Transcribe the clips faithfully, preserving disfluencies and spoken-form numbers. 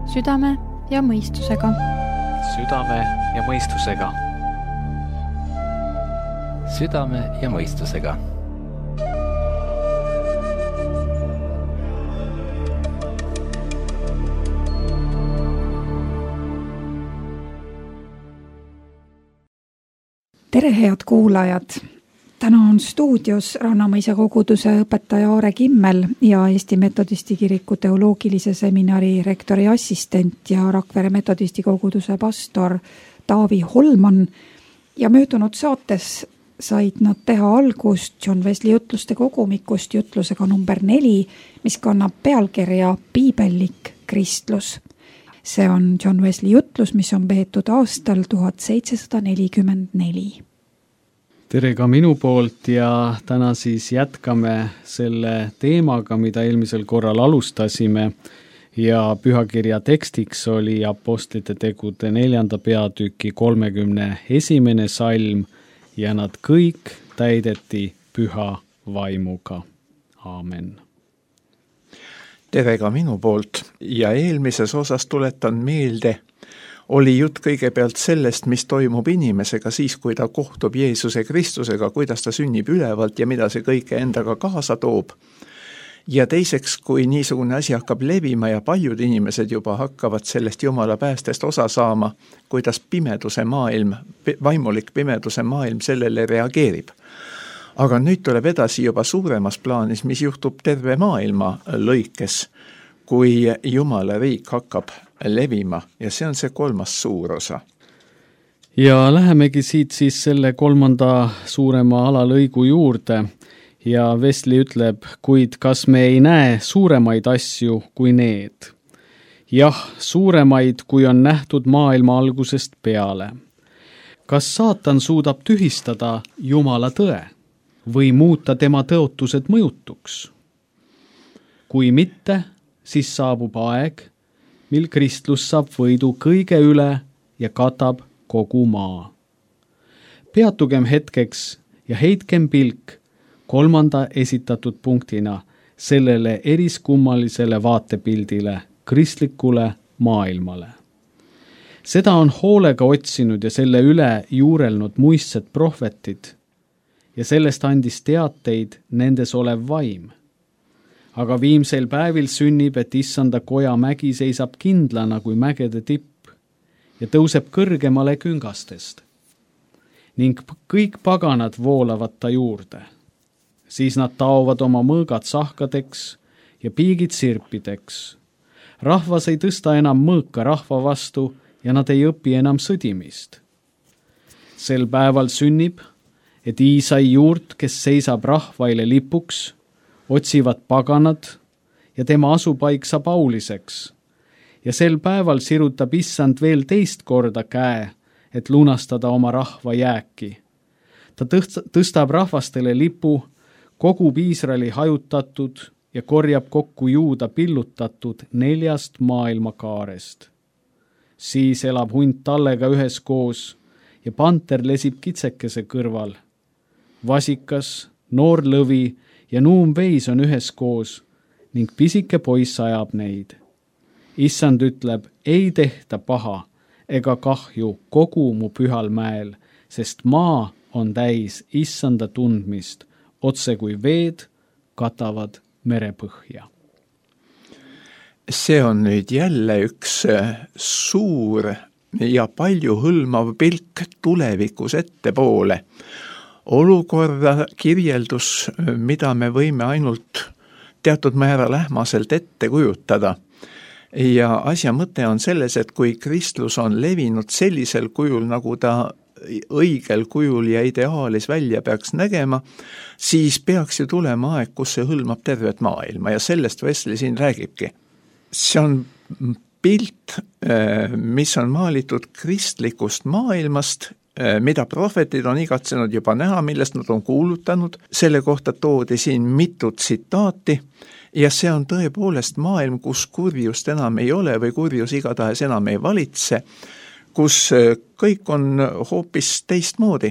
südame ja mõistusega. Südame ja mõistusega. Südame ja mõistusega. Tere, head kuulajad! Täna on stuudios Rannamõisa koguduse õpetaja Aare Kimmel ja Eesti Metodisti kiriku teoloogilise seminari rektori assistent ja Rakvere Metodisti koguduse pastor Taavi Holman. Ja möödunud saates said nad teha algust John Wesley jutluste kogumikust jutlusega number neli, mis kannab pealkirja Piibellik kristlus. See on John Wesley jutlus, mis on peetud aastal tuhat seitsesada nelikümmend neli. Tere ka minu poolt ja täna siis jätkame selle teemaga, mida eelmisel korral alustasime ja pühakirja tekstiks oli Apostlite tegude neljanda peatüki kolmekümne esimene salm ja nad kõik täideti püha vaimuga. Aamen. Tere ka minu poolt ja eelmises osas tuletan meelde, oli jutt kõigepealt sellest, mis toimub inimesega siis, kui ta kohtub Jeesuse Kristusega, kuidas ta sünnib ülevalt ja mida see kõike endaga kaasa toob. Ja teiseks, kui niisugune asi hakkab levima ja paljud inimesed juba hakkavad sellest Jumala päästest osa saama, kuidas pimeduse maailm, vaimulik pimeduse maailm sellele reageerib. Aga nüüd tuleb edasi juba suuremas plaanis, mis juhtub terve maailma lõikes, kui Jumala riik hakkab levima ja see on see kolmas suur osa. Ja lähemegi siit siis selle kolmanda suurema alalõigu juurde ja Wesley ütleb, kuid kas me ei näe suuremaid asju kui need? Jah, suuremaid, kui on nähtud maailma algusest peale. Kas saatan suudab tühistada Jumala tõe või muuta tema tõotused mõjutuks? Kui mitte, siis saabub aeg, mil kristlus saab võidu kõige üle ja katab kogu maa. Peatugem hetkeks ja heitkem pilk kolmanda esitatud punktina sellele eriskummalisele vaatepildile, kristlikule maailmale. Seda on hoolega otsinud ja selle üle juurelnud muistsed prohvetid ja sellest andis teateid nendes olev vaim. Aga viimsel päevil sünnib, et issanda koja mägi seisab kindlana kui mägede tipp ja tõuseb kõrgemale küngastest. Ning kõik paganad voolavad ta juurde. Siis nad taovad oma mõõgad sahkadeks ja piigid sirpideks. Rahvas ei tõsta enam mõõka rahva vastu ja nad ei õpi enam sõdimist. Sel päeval sünnib, et Iisai juurt, kes seisab rahvaile lipuks, otsivad paganad ja tema asupaik saab auliseks. Ja sel päeval sirutab issand veel teist korda käe, et lunastada oma rahva jääki. Ta tõstab rahvastele lipu, kogub Iisraeli hajutatud ja korjab kokku juuda pillutatud neljast maailmakaarest. Siis elab hunt tallega üheskoos ja panter lesib kitsekese kõrval. Vasikas, noor lõvi ja nuum veis on üheskoos ning pisike poiss ajab neid. Issand ütleb, ei tehta paha ega kahju kogu mu pühal mäel, sest maa on täis issanda tundmist, otse kui veed katavad merepõhja. See on nüüd jälle üks suur ja palju hõlmav pilk tulevikus ettepoole. Olukorda kirjeldus, mida me võime ainult teatud määral ähmaselt ette kujutada. Ja asja mõte on selles, et kui kristlus on levinud sellisel kujul, nagu ta õigel kujul ja ideaalis välja peaks nägema, siis peaks ju tulema aeg, kus see hõlmab tervet maailma ja sellest Wesley siin räägibki. See on pilt, mis on maalitud kristlikust maailmast, mida prohvetid on igatsenud juba näha, millest nad on kuulutanud. Selle kohta toodi siin mitu tsitaati ja see on tõepoolest maailm, kus kurjust enam ei ole või kurjus igatahes enam ei valitse, kus kõik on hoopis teistmoodi.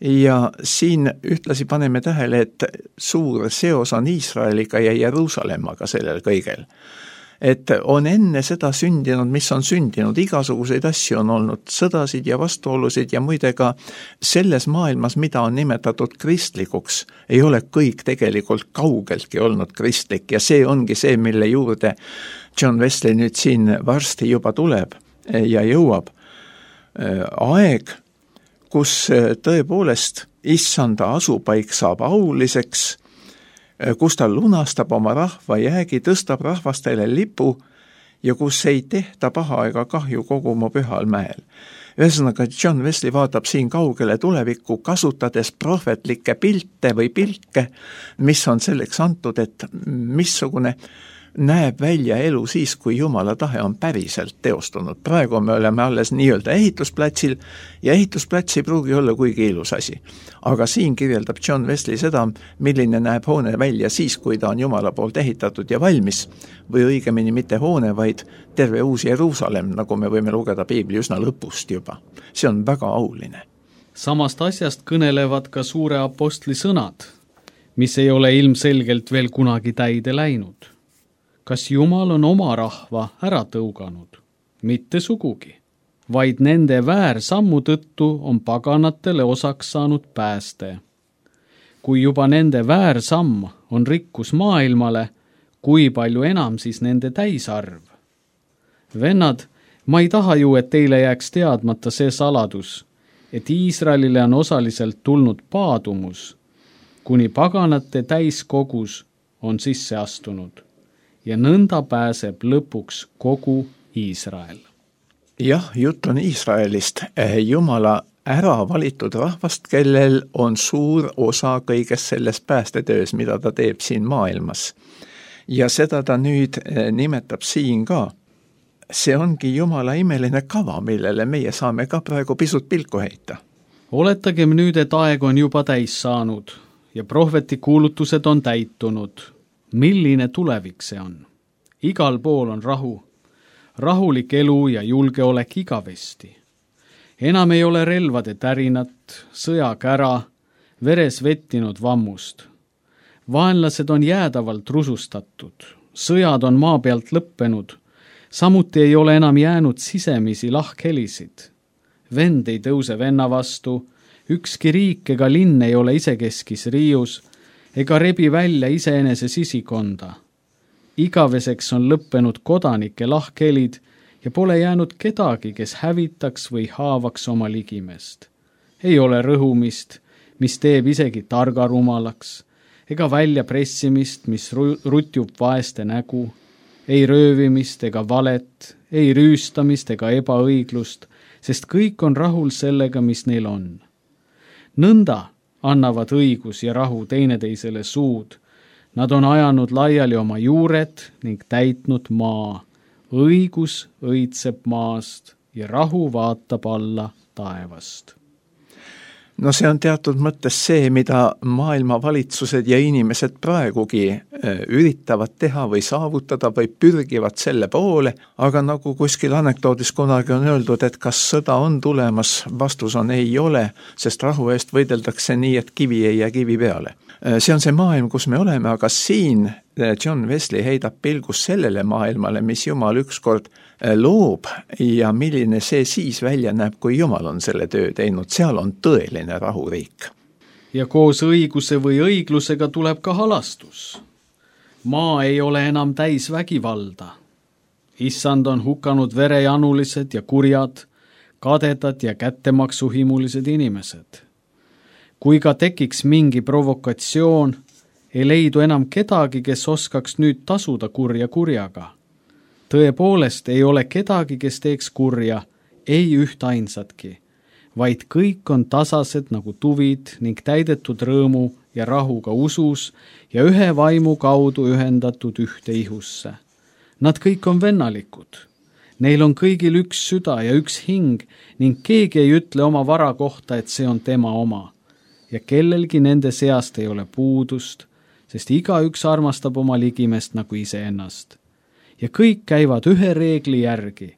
Ja siin ühtlasi paneme tähele, et suur seos on Iisraeliga ja Jeruusalemmaga sellel kõigel. et on enne seda sündinud, mis on sündinud, igasuguseid asju on olnud, sõdasid ja vastuolusid ja muide ka selles maailmas, mida on nimetatud kristlikuks, ei ole kõik tegelikult kaugeltki olnud kristlik ja see ongi see, mille juurde John Wesley nüüd siin varsti juba tuleb ja jõuab. Aeg, kus tõepoolest issanda asupaik saab auliseks, kus ta lunastab oma rahva jäägi, tõstab rahvastele lipu ja kus ei tehta paha ega kahju kogu mu pühal mäel. Ühesõnaga, John Wesley vaatab siin kaugele tulevikku, kasutades prohvetlikke pilte või pilke, mis on selleks antud, et missugune näeb välja elu siis, kui Jumala tahe on päriselt teostunud. Praegu me oleme alles nii-öelda ehitusplatsil ja ehitusplats ei pruugi olla kuigi ilus asi. Aga siin kirjeldab John Wesley seda, milline näeb hoone välja siis, kui ta on Jumala poolt ehitatud ja valmis, või õigemini mitte hoone, vaid terve uus Jeruusalemm, nagu me võime lugeda Piibli üsna lõpust juba. See on väga auline. Samast asjast kõnelevad ka suure apostli sõnad, mis ei ole ilmselgelt veel kunagi täide läinud. Kas Jumal on oma rahva ära tõuganud? Mitte sugugi, vaid nende väärsammu tõttu on paganatele osaks saanud pääste. Kui juba nende väärsamm on rikkus maailmale, kui palju enam siis nende täisarv? Vennad, ma ei taha ju, et teile jääks teadmata see saladus, et Iisraelile on osaliselt tulnud paadumus, kuni paganate täiskogus on sisse astunud. Ja nõnda pääseb lõpuks kogu Iisrael. Jah, jutt on Iisraelist, Jumala ära valitud rahvast, kellel on suur osa kõigest selles päästetöös, mida ta teeb siin maailmas. Ja seda ta nüüd nimetab siin ka. See ongi Jumala imeline kava, millele meie saame ka praegu pisut pilku heita. Oletagem nüüd, et aeg on juba täis saanud ja prohveti kuulutused on täitunud. Milline tulevik see on? Igal pool on rahu, rahulik elu ja julgeolek igavesti. Enam ei ole relvade tärinat, sõjakära, veres vettinud vammust. Vaenlased on jäädavalt rusustatud, sõjad on maa pealt lõppenud, samuti ei ole enam jäänud sisemisi lahkhelisid. Vend ei tõuse venna vastu, ükski riik ega linn ei ole isekeskis riius, ega rebi välja iseenese sisikonda. Igaveseks on lõppenud kodanike lahkhelid ja pole jäänud kedagi, kes hävitaks või haavaks oma ligimest. Ei ole rõhumist, mis teeb isegi targa rumalaks, ega välja pressimist, mis rutjub vaeste nägu, ei röövimist ega valet, ei rüüstamist ega ebaõiglust, sest kõik on rahul sellega, mis neil on. Nõnda annavad õigus ja rahu teineteisele suud. Nad on ajanud laiali oma juured ning täitnud maa. Õigus õitseb maast ja rahu vaatab alla taevast. No see on teatud mõttes see, mida maailma valitsused ja inimesed praegugi üritavad teha või saavutada või pürgivad selle poole, aga nagu kuskil anekdoodis kunagi on öeldud, et kas sõda on tulemas, vastus on ei ole, sest rahu eest võideldakse nii, et kivi ei jää kivi peale. See on see maailm, kus me oleme, aga siin John Wesley heidab pilgus sellele maailmale, mis Jumal ükskord loob ja milline see siis välja näeb, kui Jumal on selle töö teinud. Seal on tõeline rahuriik. Ja koos õiguse või õiglusega tuleb ka halastus. Maa ei ole enam täis vägivalda. Issand on hukanud verejanulised ja kurjad, kadedad ja kättemaksuhimulised inimesed. Kui ka tekiks mingi provokatsioon, ei leidu enam kedagi, kes oskaks nüüd tasuda kurja kurjaga. Tõepoolest ei ole kedagi, kes teeks kurja, ei üht ainsatki, vaid kõik on tasased nagu tuvid ning täidetud rõõmu ja rahuga usus ja ühe vaimu kaudu ühendatud ühte ihusse. Nad kõik on vennalikud. Neil on kõigil üks süda ja üks hing ning keegi ei ütle oma vara kohta, et see on tema oma. Ja kellelgi nende seast ei ole puudust, sest igaüks armastab oma ligimest nagu iseennast. Ja kõik käivad ühe reegli järgi.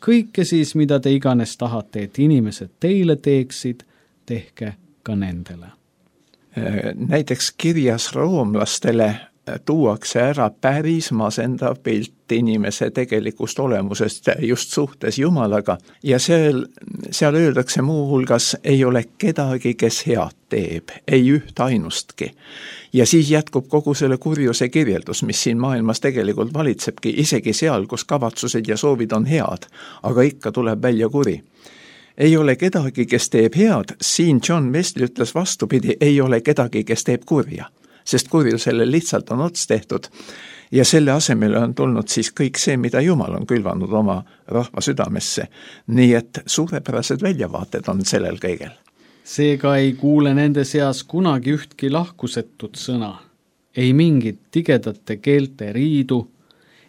Kõike siis, mida te iganes tahate, et inimesed teile teeksid, tehke ka nendele. Näiteks kirjas roomlastele tuuakse ära päris masendav pilt lahti inimese tegelikust olemusest just suhtes Jumalaga ja seal, seal öeldakse muuhulgas, ei ole kedagi, kes head teeb, ei üht ainustki. Ja siis jätkub kogu selle kurjuse kirjeldus, mis siin maailmas tegelikult valitsebki, isegi seal, kus kavatsused ja soovid on head, aga ikka tuleb välja kuri. Ei ole kedagi, kes teeb head, siin John Wesley ütles vastupidi, ei ole kedagi, kes teeb kurja, sest kurjusele lihtsalt on ots tehtud ja selle asemel on tulnud siis kõik see, mida Jumal on külvanud oma rahva südamesse. Nii et suurepärased väljavaated on sellel kõigel. Seega ei kuule nende seas kunagi ühtki lahkusetut sõna, ei mingit tigedate keelte riidu,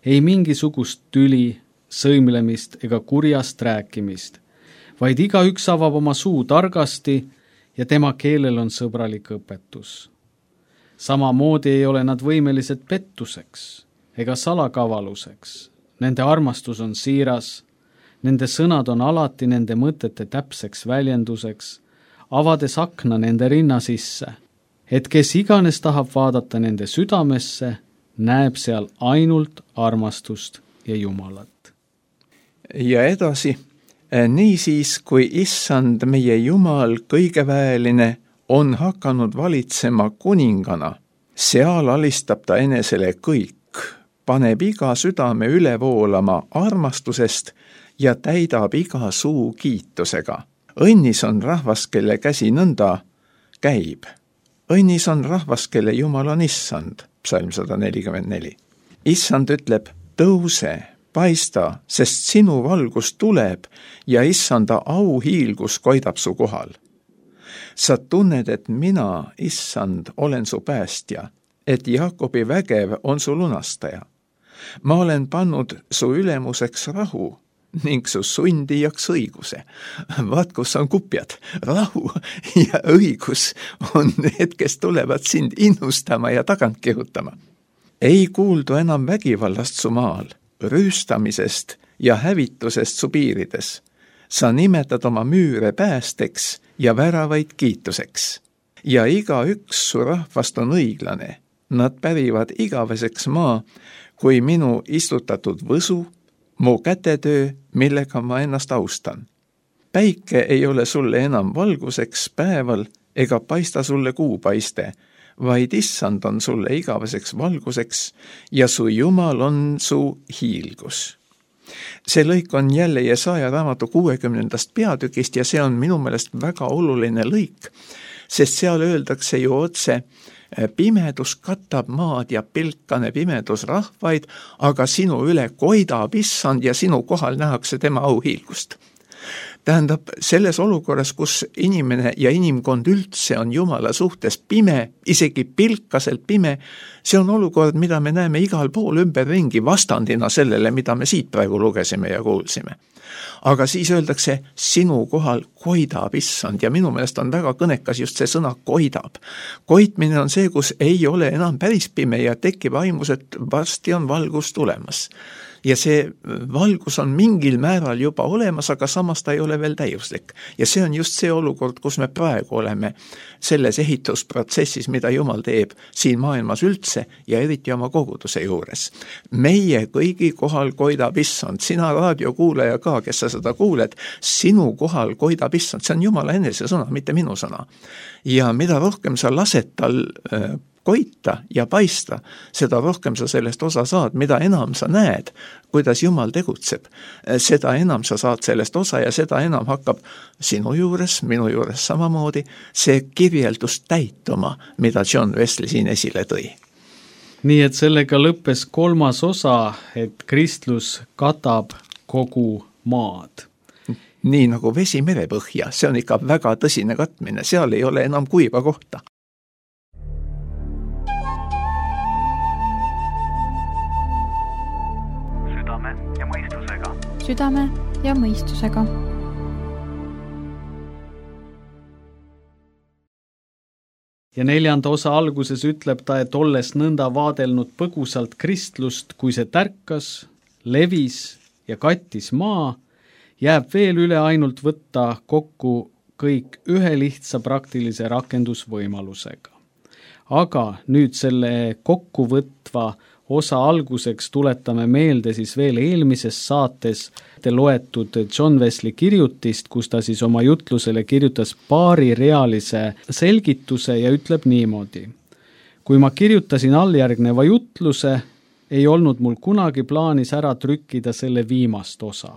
ei mingisugust tüli, sõimlemist ega kurjast rääkimist, vaid igaüks avab oma suu targasti ja tema keelel on sõbralik õpetus. Samamoodi ei ole nad võimelised pettuseks ega salakavaluseks. Nende armastus on siiras, nende sõnad on alati nende mõtete täpseks väljenduseks, avades akna nende rinna sisse, et kes iganes tahab vaadata nende südamesse, näeb seal ainult armastust ja Jumalat. Ja edasi, niisiis kui issand meie Jumal kõigeväeline on hakanud valitsema kuningana, seal alistab ta enesele kõik, paneb iga südame üle voolama armastusest ja täidab iga suu kiitusega. Õnnis on rahvas, kelle käsi nõnda käib. Õnnis on rahvas, kelle Jumal on issand, psalm sada nelikümmend neli. Issand ütleb, tõuse, paista, sest sinu valgus tuleb ja issanda auhiilgus koidab su kohal. Sa tunned, et mina, issand, olen su päästja, et Jaakobi vägev on su lunastaja. Ma olen pannud su ülemuseks rahu ning su sundijaks õiguse. Vaat, kus on kupjad. Rahu ja õigus on need, kes tulevad sind innustama ja tagant kihutama. Ei kuuldu enam vägivallast su maal, rüüstamisest ja hävitusest su piirides. Sa nimetad oma müüre päästeks ja väravaid kiituseks. Ja iga üks su rahvast on õiglane. Nad pärivad igaveseks maa, kui minu istutatud võsu, mu kätetöö, millega ma ennast austan. Päike ei ole sulle enam valguseks päeval ega paista sulle kuupaiste, vaid issand on sulle igaveseks valguseks ja su Jumal on su hiilgus. See lõik on jälle Jesaja raamatu kuuekümnendast peatükist ja see on minu meelest väga oluline lõik, sest seal öeldakse ju otse, pimedus katab maad ja pilkane pimedus rahvaid, aga sinu üle koidab issand ja sinu kohal nähakse tema auhiilgust. Tähendab, selles olukorras, kus inimene ja inimkond üldse on Jumala suhtes pime, isegi pilkaselt pime, see on olukord, mida me näeme igal pool ümberringi vastandina sellele, mida me siit praegu lugesime ja kuulsime. Aga siis öeldakse, sinu kohal koidab issand ja minu meelest on väga kõnekas just see sõna koidab. Koitmine on see, kus ei ole enam päris pime ja tekib aimus, et varsti on valgus tulemas. Ja see valgus on mingil määral juba olemas, aga samas ta ei ole veel täiuslik. Ja see on just see olukord, kus me praegu oleme selles ehitusprotsessis, mida Jumal teeb siin maailmas üldse ja eriti oma koguduse juures. Meie kõigi kohal koidab issand, sina raadiokuulaja ka, kes sa seda kuuled, sinu kohal koidab issand, see on Jumala enese sõna, mitte minu sõna. Ja mida rohkem sa lased tal äh, koita ja paista, seda rohkem sa sellest osa saad, mida enam sa näed, kuidas Jumal tegutseb, seda enam sa saad sellest osa ja seda enam hakkab sinu juures, minu juures samamoodi, see kirjeldus täituma, mida John Wesley siin esile tõi. Nii et sellega lõppes kolmas osa, et kristlus katab kogu maad. Nii nagu vesi merepõhja, see on ikka väga tõsine katmine, seal ei ole enam kuiva kohta. Südame ja mõistusega. Ja neljanda osa alguses ütleb ta, et olles nõnda vaadelnud põgusalt kristlust, kui see tärkas, levis ja kattis maa, jääb veel üle ainult võtta kokku kõik ühe lihtsa praktilise rakendusvõimalusega. Aga nüüd selle kokkuvõtva osa alguseks tuletame meelde siis veel eelmises saates loetud John Wesley kirjutist, kus ta siis oma jutlusele kirjutas paarirealise selgituse ja ütleb niimoodi. Kui ma kirjutasin alljärgneva jutluse, ei olnud mul kunagi plaanis ära trükkida selle viimast osa.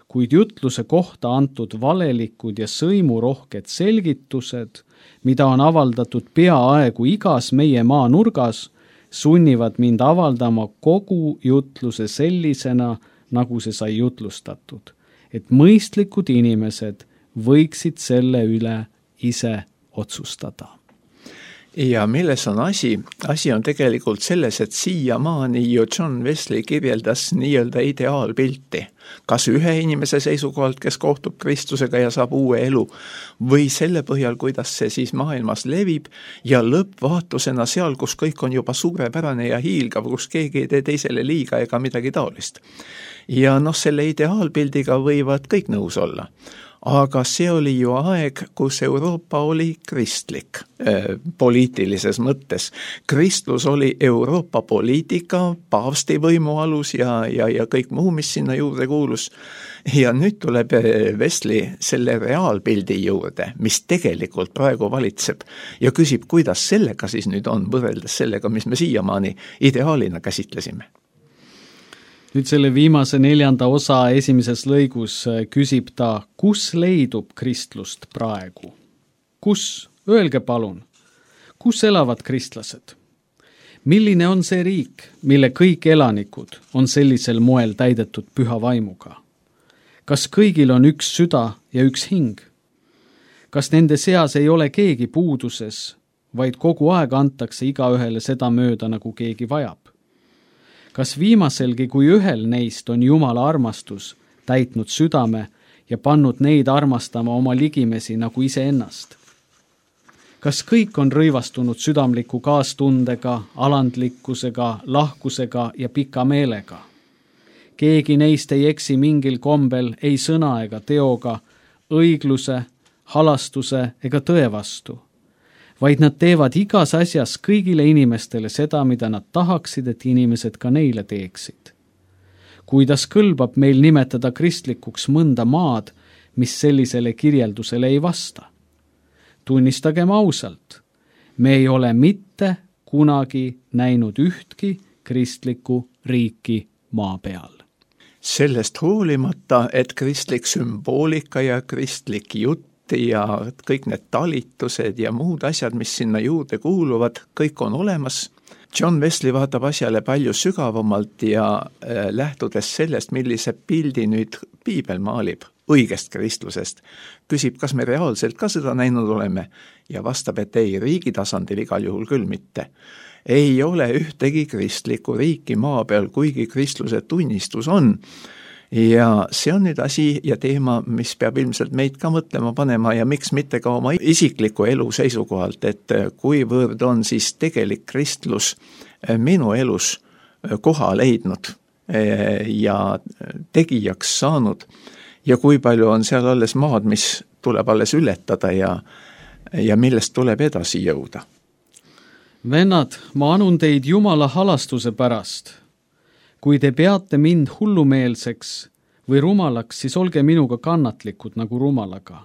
Kuid jutluse kohta antud valelikud ja sõimurohked selgitused, mida on avaldatud peaaegu igas meie maa nurgas, sunnivad mind avaldama kogu jutluse sellisena, nagu see sai jutlustatud, et mõistlikud inimesed võiksid selle üle ise otsustada. Ja milles on asi? Asi on tegelikult selles, et siiamaani ju John Wesley kirjeldas nii-öelda ideaalpilti. Kas ühe inimese seisukohalt, kes kohtub Kristusega ja saab uue elu, või selle põhjal, kuidas see siis maailmas levib ja lõppvaatusena seal, kus kõik on juba suurepärane ja hiilgav, kus keegi ei tee teisele liiga ega midagi taolist. Ja noh, selle ideaalpildiga võivad kõik nõus olla. Aga see oli ju aeg, kus Euroopa oli kristlik äh, poliitilises mõttes. Kristlus oli Euroopa poliitika, paavsti võimu alus ja, ja, ja kõik muu, mis sinna juurde kuulus. Ja nüüd tuleb Wesley selle reaalpildi juurde, mis tegelikult praegu valitseb ja küsib, kuidas sellega siis nüüd on võrreldes sellega, mis me siiamaani ideaalina käsitlesime. Nüüd selle viimase neljanda osa esimeses lõigus küsib ta, kus leidub kristlust praegu? Kus? Öelge palun. Kus elavad kristlased? Milline on see riik, mille kõik elanikud on sellisel moel täidetud püha vaimuga? Kas kõigil on üks süda ja üks hing? Kas nende seas ei ole keegi puuduses, vaid kogu aeg antakse igaühele seda mööda, nagu keegi vajab? Kas viimaselgi, kui ühel neist on Jumala armastus täitnud südame ja pannud neid armastama oma ligimesi nagu iseennast? Kas kõik on rõivastunud südamliku kaastundega, alandlikkusega, lahkusega ja pika meelega? Keegi neist ei eksi mingil kombel ei sõna ega teoga, õigluse, halastuse ega tõe vastu, vaid nad teevad igas asjas kõigile inimestele seda, mida nad tahaksid, et inimesed ka neile teeksid. Kuidas kõlbab meil nimetada kristlikuks mõnda maad, mis sellisele kirjeldusele ei vasta? Tunnistagem ausalt, me ei ole mitte kunagi näinud ühtki kristlikku riiki maa peal. Sellest hoolimata, et kristlik sümboolika ja kristlik jutt ja kõik need talitused ja muud asjad, mis sinna juurde kuuluvad, kõik on olemas. John Wesley vaatab asjale palju sügavamalt ja äh, lähtudes sellest, millise pildi nüüd piibel maalib õigest kristlusest, küsib, kas me reaalselt ka seda näinud oleme ja vastab, et ei, riigi tasandil igal juhul küll mitte. Ei ole ühtegi kristlikku riiki maa peal, kuigi kristluse tunnistus on. Ja see on nüüd asi ja teema, mis peab ilmselt meid ka mõtlema panema ja miks mitte ka oma isikliku elu seisukohalt, et kuivõrd on siis tegelik kristlus minu elus koha leidnud ja tegijaks saanud ja kui palju on seal alles maad, mis tuleb alles ületada ja, ja millest tuleb edasi jõuda. Vennad, ma anun teid Jumala halastuse pärast. Kui te peate mind hullumeelseks või rumalaks, siis olge minuga kannatlikud nagu rumalaga.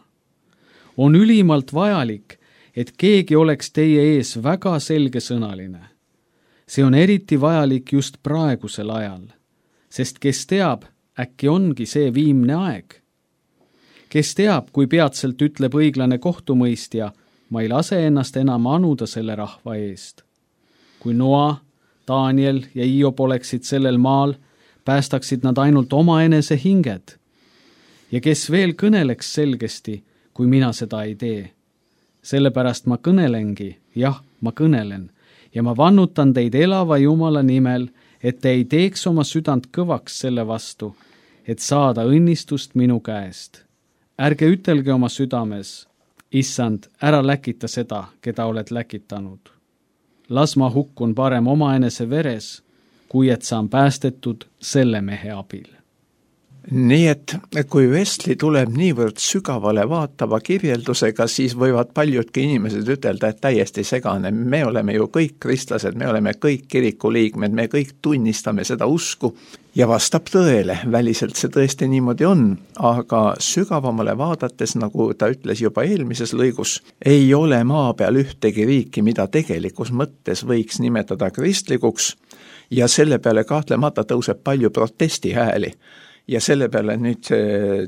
On ülimalt vajalik, et keegi oleks teie ees väga selgesõnaline. See on eriti vajalik just praegusel ajal, sest kes teab, äkki ongi see viimne aeg. Kes teab, kui peatselt ütleb õiglane kohtumõistja, ma ei lase ennast enam anuda selle rahva eest. Kui Noa, Daniel ja Hiob oleksid sellel maal, päästaksid nad ainult oma enese hinged. Ja kes veel kõneleks selgesti, kui mina seda ei tee. Sellepärast ma kõnelengi, jah, ma kõnelen, ja ma vannutan teid elava Jumala nimel, et te ei teeks oma südant kõvaks selle vastu, et saada õnnistust minu käest. Ärge ütelge oma südames, issand, ära läkita seda, keda oled läkitanud. Las ma hukkun parem oma enese veres, kui et saan päästetud selle mehe abil. nii et kui Wesley tuleb niivõrd sügavale vaatava kirjeldusega, siis võivad paljudki inimesed ütelda, et täiesti segane. Me oleme ju kõik kristlased, me oleme kõik kirikuliikmed, me kõik tunnistame seda usku ja vastab tõele. Väliselt see tõesti niimoodi on, aga sügavamale vaadates, nagu ta ütles juba eelmises lõigus, ei ole maa peal ühtegi riiki, mida tegelikus mõttes võiks nimetada kristlikuks ja selle peale kahtlemata tõuseb palju protestihääli. Ja selle peale nüüd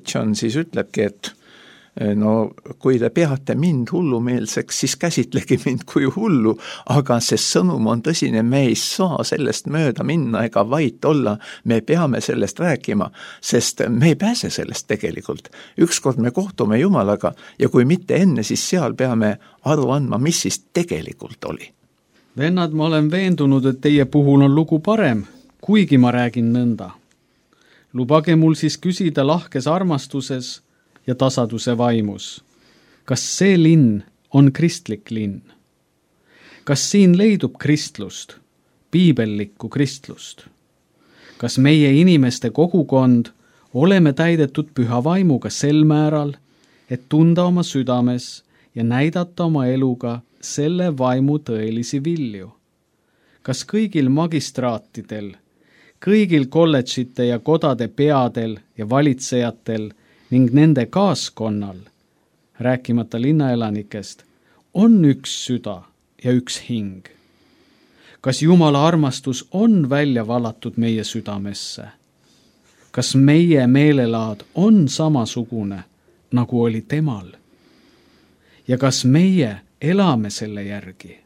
John siis ütlebki, et no kui te peate mind hullumeelseks, siis käsitlegi mind kui hullu, aga see sõnum on tõsine, me ei saa sellest mööda minna ega vait olla, me peame sellest rääkima, sest me ei pääse sellest tegelikult. Ükskord me kohtume Jumalaga ja kui mitte enne, siis seal peame aru andma, mis siis tegelikult oli. Vennad, ma olen veendunud, et teie puhul on lugu parem, kuigi ma räägin nõnda. Lubage mul siis küsida lahkes armastuses ja tasaduse vaimus. Kas see linn on kristlik linn? Kas siin leidub kristlust, piibellikku kristlust? Kas meie inimeste kogukond oleme täidetud püha vaimuga sel määral, et tunda oma südames ja näidata oma eluga selle vaimu tõelisi vilju? Kas kõigil magistraatidel, kõigil kolledžite ja kodade peadel ja valitsejatel ning nende kaaskonnal, rääkimata linnaelanikest, on üks süda ja üks hing? Kas Jumala armastus on välja valatud meie südamesse? Kas meie meelelaad on samasugune, nagu oli temal? Ja kas meie elame selle järgi?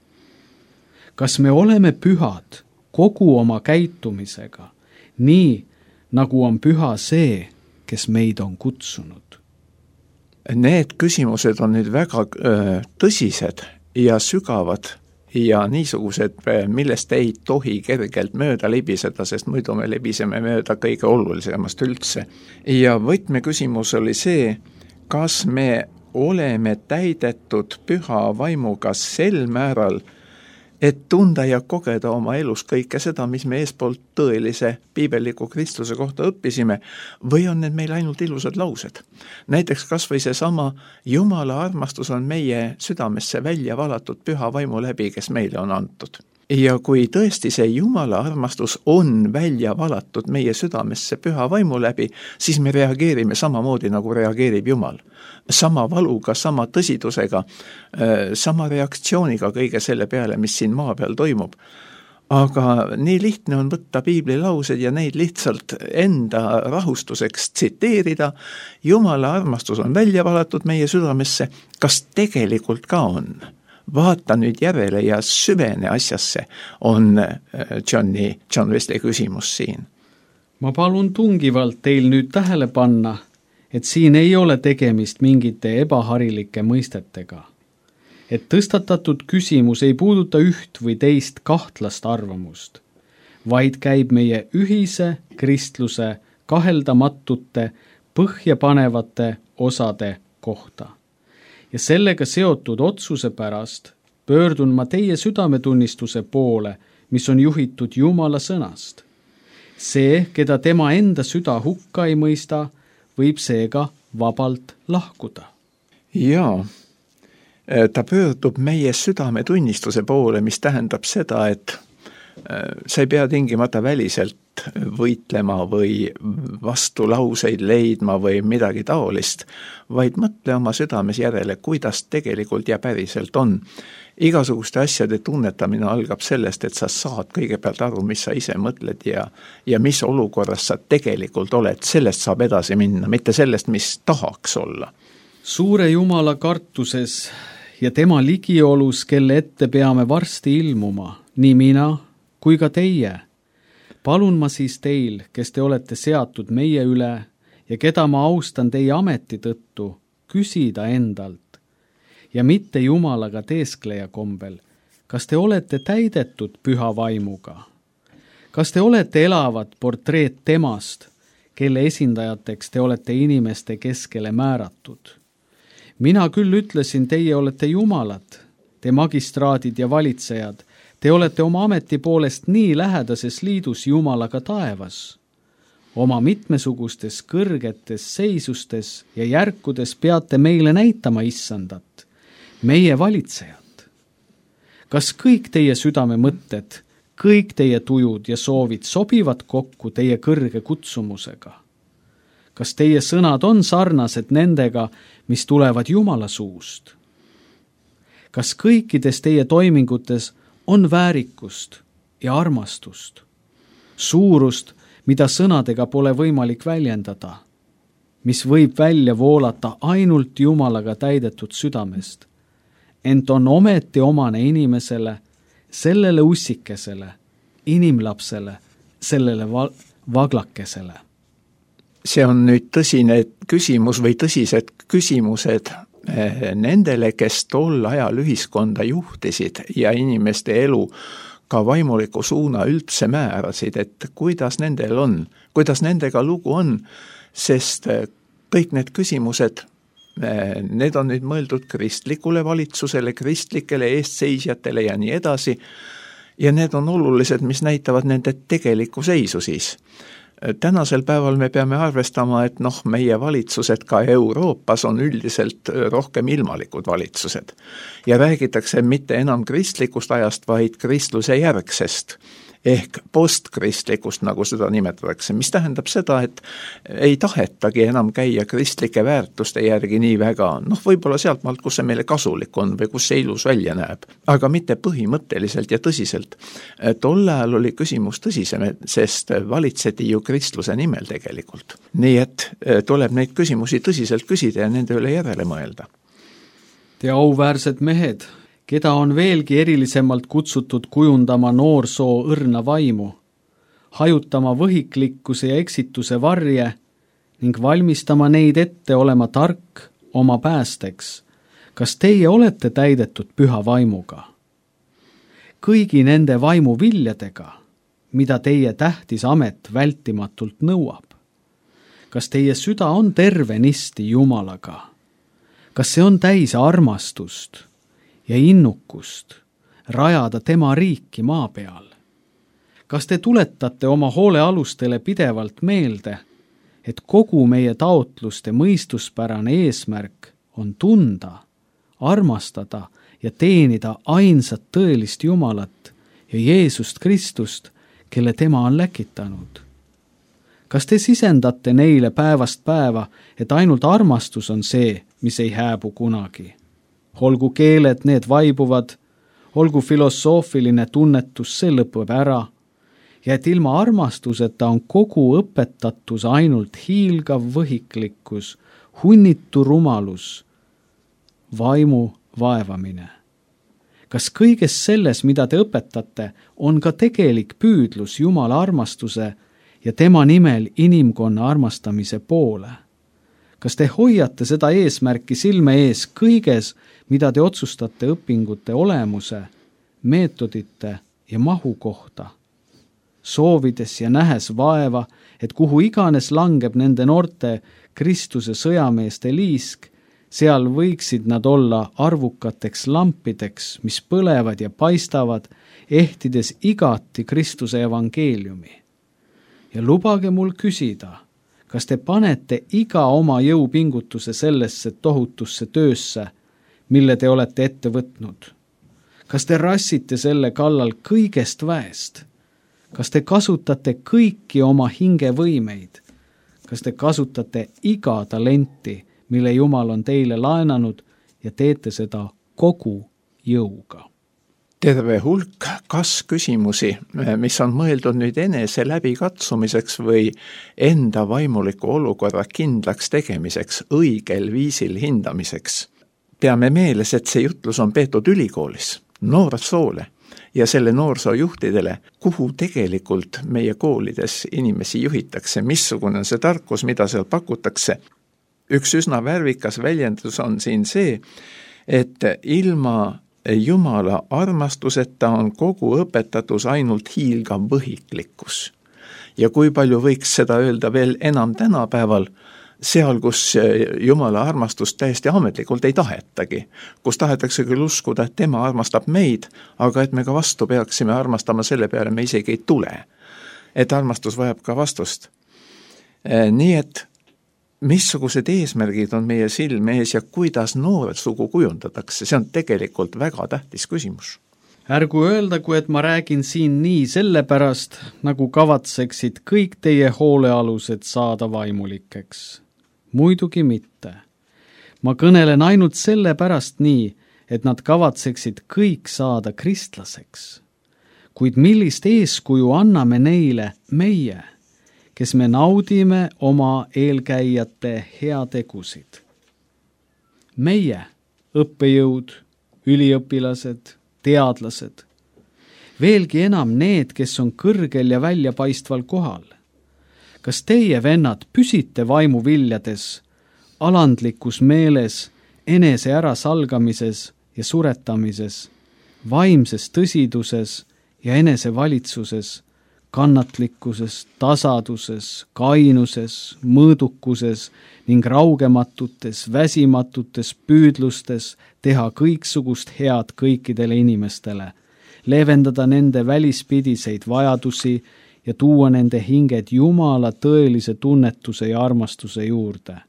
Kas me oleme pühad kogu oma käitumisega, nii nagu on püha see, kes meid on kutsunud? Need küsimused on nüüd väga öö, tõsised ja sügavad ja niisugused, millest ei tohi kergelt mööda libiseda, sest muidu me libiseme mööda kõige olulisemast üldse. Ja võtmeküsimus oli see, kas me oleme täidetud püha vaimuga sel määral, et tunda ja kogeda oma elus kõike seda, mis me eespoolt tõelise piibelliku Kristuse kohta õppisime, või on need meil ainult ilusad laused. Näiteks kas või see sama Jumala armastus on meie südamesse välja valatud püha vaimu läbi, kes meile on antud. Ja kui tõesti see Jumala armastus on välja valatud meie südamesse püha vaimu läbi, siis me reageerime samamoodi, nagu reageerib Jumal. Sama valuga, sama tõsidusega, sama reaktsiooniga kõige selle peale, mis siin maa peal toimub. Aga nii lihtne on võtta piibli laused ja neid lihtsalt enda rahustuseks tsiteerida. Jumala armastus on välja valatud meie südamesse, kas tegelikult ka on? Vaata nüüd järele ja süvene asjasse, on Johni, John Wesley küsimus siin. Ma palun tungivalt teil nüüd tähele panna, et siin ei ole tegemist mingite ebaharilike mõistetega. Et tõstatatud küsimus ei puuduta üht või teist kahtlast arvamust, vaid käib meie ühise kristluse kaheldamatute põhjapanevate osade kohta. Ja sellega seotud otsuse pärast pöördun ma teie südametunnistuse poole, mis on juhitud Jumala sõnast. See, keda tema enda süda hukka ei mõista, võib seega vabalt lahkuda. Jaa, ta pöördub meie südametunnistuse poole, mis tähendab seda, et sa ei pea tingimata väliselt võitlema või vastulauseid leidma või midagi taolist, vaid mõtle oma südames järele, kuidas tegelikult ja päriselt on. Igasuguste asjade tunnetamine algab sellest, et sa saad kõigepealt aru, mis sa ise mõtled ja, ja mis olukorras sa tegelikult oled. Sellest saab edasi minna, mitte sellest, mis tahaks olla. Suure Jumala kartuses ja tema ligiolus, kelle ette peame varsti ilmuma, nii mina kui ka teie. Palun ma siis teil, kes te olete seatud meie üle ja keda ma austan teie ameti tõttu, küsida endalt ja mitte Jumalaga teeskleja kombel, kas te olete täidetud püha vaimuga? Kas te olete elavad portreet temast, kelle esindajateks te olete inimeste keskele määratud? Mina küll ütlesin, teie olete Jumalad, te magistraadid ja valitsejad, te olete oma ameti poolest nii lähedases liidus Jumalaga taevas. oma mitmesugustes kõrgetes seisustes ja järkudes peate meile näitama Issandat, meie valitsejat. Kas kõik teie südame mõtted, kõik teie tujud ja soovid sobivad kokku teie kõrge kutsumusega? Kas teie sõnad on sarnased nendega, mis tulevad Jumala suust? Kas kõikides teie toimingutes on väärikust ja armastust, suurust, mida sõnadega pole võimalik väljendada, mis võib välja voolata ainult Jumalaga täidetud südamest, ent on ometi omane inimesele, sellele ussikesele, inimlapsele, sellele va- vaglakesele? See on nüüd tõsine küsimus või tõsised küsimused nendele, kes tol ajal ühiskonda juhtisid ja inimeste elu ka vaimuliku suuna üldse määrasid, et kuidas nendel on, kuidas nendega lugu on, sest kõik need küsimused, need on nüüd mõeldud kristlikule valitsusele, kristlikele eestseisjatele ja nii edasi, ja need on olulised, mis näitavad nende tegelikku seisu siis. Tänasel päeval me peame arvestama, et noh, meie valitsused ka Euroopas on üldiselt rohkem ilmalikud valitsused. Ja räägitakse mitte enam kristlikust ajast, vaid kristluse järgsest ehk postkristlikust, nagu seda nimetatakse, mis tähendab seda, et ei tahetagi enam käia kristlike väärtuste järgi nii väga, noh võib-olla sealt maalt, kus see meile kasulik on või kus see ilus välja näeb, aga mitte põhimõtteliselt ja tõsiselt. Tol ajal oli küsimus tõsisem, sest valitseti ju kristluse nimel tegelikult. Nii et tuleb neid küsimusi tõsiselt küsida ja nende üle järele mõelda. Te auväärsed mehed, keda on veelgi erilisemalt kutsutud kujundama noorsoo õrna vaimu, hajutama võhiklikkuse ja eksituse varje ning valmistama neid ette olema tark oma päästeks. Kas teie olete täidetud püha vaimuga? Kõigi nende vaimu viljadega, mida teie tähtis amet vältimatult nõuab? Kas teie süda on tervenisti Jumalaga? Kas see on täis armastust ja innukust rajada tema riiki maa peal? Kas te tuletate oma hoolealustele pidevalt meelde, et kogu meie taotluste mõistuspärane eesmärk on tunda, armastada ja teenida ainsat tõelist Jumalat ja Jeesust Kristust, kelle tema on läkitanud? Kas te sisendate neile päevast päeva, et ainult armastus on see, mis ei hääbu kunagi? Olgu keeled, need vaibuvad, olgu filosoofiline tunnetus, see lõpeb ära, ja et ilma armastuseta on kogu õpetatus ainult hiilgav võhiklikkus, hunnitu rumalus, vaimu vaevamine. Kas kõiges selles, mida te õpetate, on ka tegelik püüdlus Jumala armastuse ja tema nimel inimkonna armastamise poole? Kas te hoiate seda eesmärki silme ees kõiges, mida te otsustate õpingute olemuse, meetodite ja mahu kohta, soovides ja nähes vaeva, et kuhu iganes langeb nende noorte Kristuse sõjameeste liisk, seal võiksid nad olla arvukateks lampideks, mis põlevad ja paistavad, ehtides igati Kristuse evangeeliumi. Ja lubage mul küsida, kas te panete iga oma jõupingutuse sellesse tohutusse töösse, mille te olete ette võtnud? Kas te rassite selle kallal kõigest väest? Kas te kasutate kõiki oma hingevõimeid? Kas te kasutate iga talenti, mille Jumal on teile laenanud ja teete seda kogu jõuga? Terve hulk kas-küsimusi, mis on mõeldud nüüd enese läbikatsumiseks või enda vaimuliku olukorra kindlaks tegemiseks, õigel viisil hindamiseks. Peame meeles, et see jutlus on peetud ülikoolis, noorsoole ja selle noorsoojuhtidele, kuhu tegelikult meie koolides inimesi juhitakse, missugune on see tarkus, mida seal pakutakse. Üks üsna värvikas väljendus on siin see, et ilma Jumala armastuseta on kogu õpetatus ainult hiilgav võhiklikkus. Ja kui palju võiks seda öelda veel enam tänapäeval, seal, kus Jumala armastust täiesti ametlikult ei tahetagi, kus tahetakse küll uskuda, et tema armastab meid, aga et me ka vastu peaksime armastama selle peale, me isegi ei tule. Et armastus vajab ka vastust. Nii et missugused eesmärgid on meie silme ees ja kuidas noorsugu kujundatakse, see on tegelikult väga tähtis küsimus. Ärgu öeldagu, et ma räägin siin nii sellepärast, nagu kavatseksid kõik teie hoolealused saada vaimulikeks. Muidugi mitte. Ma kõnelen ainult sellepärast nii, et nad kavatseksid kõik saada kristlaseks. Kuid millist eeskuju anname neile meie, kes me naudime oma eelkäijate heategusid? Meie, õppejõud, üliõpilased, teadlased, veelgi enam need, kes on kõrgel ja väljapaistval kohal. Kas teie, vennad, püsite vaimuviljades, alandlikus meeles, enese ärasalgamises ja suretamises, vaimses tõsiduses ja enese valitsuses, kannatlikkuses, tasaduses, kainuses, mõõdukuses ning raugematutes, väsimatutes püüdlustes teha kõiksugust head kõikidele inimestele, leevendada nende välispidiseid vajadusi ja tuua nende hinged Jumala tõelise tunnetuse ja armastuse juurde.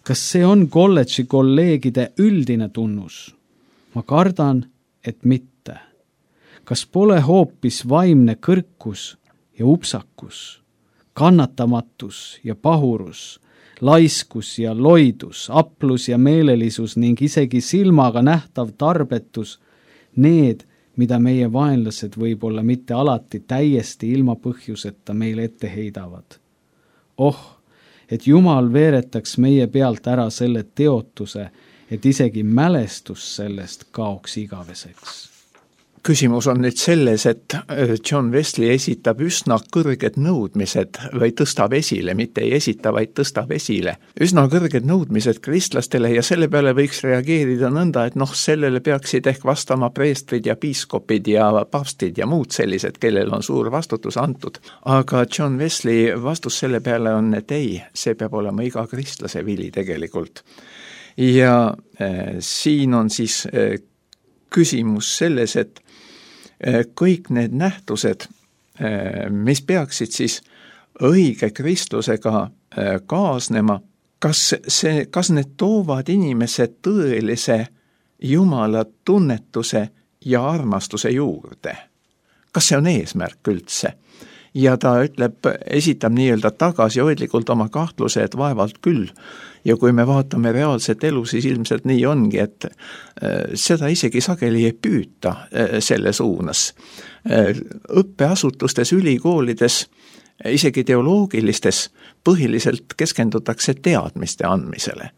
Kas see on kolledži kolleegide üldine tunnus? Ma kardan, et mitte. Kas pole hoopis vaimne kõrkus ja upsakus, kannatamatus ja pahurus, laiskus ja loidus, aplus ja meelelisus ning isegi silmaga nähtav tarbetus, need, mida meie vaenlased võib-olla mitte alati täiesti ilma põhjuseta meile ette heidavad? Oh, et Jumal veeretaks meie pealt ära selle teotuse, et isegi mälestus sellest kaoks igaveseks. Küsimus on nüüd selles, et John Wesley esitab üsna kõrged nõudmised või tõstab esile, mitte ei esita, vaid tõstab esile. Üsna kõrged nõudmised kristlastele ja selle peale võiks reageerida nõnda, et noh, sellele peaksid ehk vastama preestrid ja piiskopid ja papstid ja muud sellised, kellel on suur vastutus antud. Aga John Wesley vastus selle peale on, et ei, see peab olema iga kristlase vili tegelikult. Ja äh, siin on siis äh, küsimus selles, et kõik need nähtused, mis peaksid siis õige kristlusega kaasnema, kas, see, kas need toovad inimesed tõelise Jumala tunnetuse ja armastuse juurde? Kas see on eesmärk üldse? Ja ta ütleb, esitab nii-öelda tagasihoidlikult oma kahtluse, et vaevalt küll. Ja kui me vaatame reaalset elu, siis ilmselt nii ongi, et seda isegi sageli ei püüta selle suunas. Õppeasutustes, ülikoolides, isegi teoloogilistes põhiliselt keskendutakse teadmiste andmisele.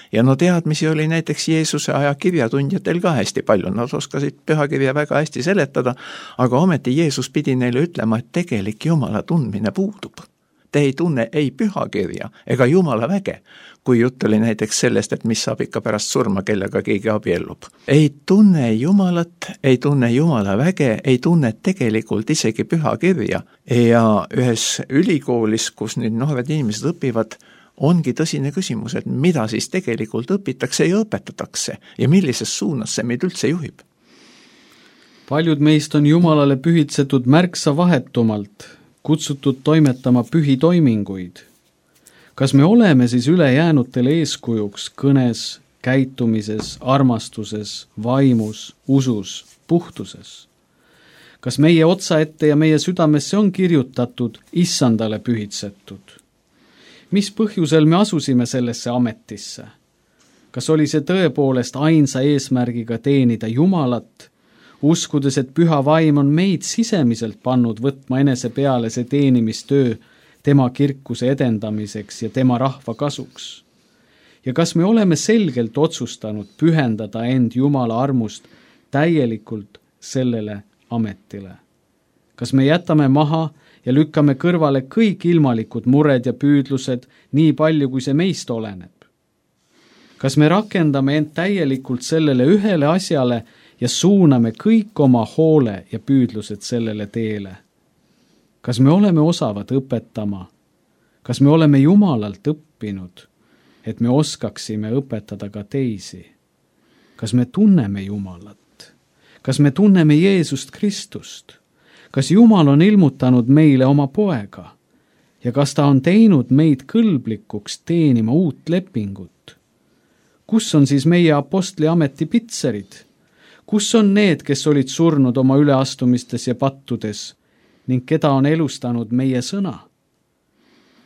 Ja no teadmisi oli näiteks Jeesuse aja kirjatundjatel ka hästi palju, nad oskasid pühakirja väga hästi seletada, aga ometi Jeesus pidi neile ütlema, et tegelik Jumala tundmine puudub. Te ei tunne ei pühakirja ega Jumala väge, kui jutt oli näiteks sellest, et mis saab ikka pärast surma, kellega keegi abiellub. Ei tunne Jumalat, ei tunne Jumala väge, ei tunne tegelikult isegi pühakirja. Ja ühes ülikoolis, kus nüüd noored inimesed õpivad, ongi tõsine küsimus, et mida siis tegelikult õpitakse ja õpetatakse ja millises suunas see meid üldse juhib. Paljud meist on Jumalale pühitsetud märksa vahetumalt, kutsutud toimetama pühitoiminguid. Kas me oleme siis ülejäänutele eeskujuks kõnes, käitumises, armastuses, vaimus, usus, puhtuses? Kas meie otsaette ja meie südamesse on kirjutatud Issandale pühitsetud? Mis põhjusel me asusime sellesse ametisse? Kas oli see tõepoolest ainsa eesmärgiga teenida Jumalat, uskudes, et püha vaim on meid sisemiselt pannud võtma enese peale see teenimistöö tema kirkuse edendamiseks ja tema rahva kasuks? Ja kas me oleme selgelt otsustanud pühendada end Jumala armust täielikult sellele ametile? Kas me jätame maha ja lükkame kõrvale kõik ilmalikud mured ja püüdlused nii palju, kui see meist oleneb? Kas me rakendame end täielikult sellele ühele asjale ja suuname kõik oma hoole ja püüdlused sellele teele? Kas me oleme osavad õpetama? Kas me oleme Jumalalt õppinud, et me oskaksime õpetada ka teisi? Kas me tunneme Jumalat? Kas me tunneme Jeesust Kristust? Kas Jumal on ilmutanud meile oma poega? ja kas ta on teinud meid kõlblikuks teenima uut lepingut? Kus on siis meie apostli ameti pitserid? Kus on need, kes olid surnud oma üleastumistes ja pattudes ning keda on elustanud meie sõna?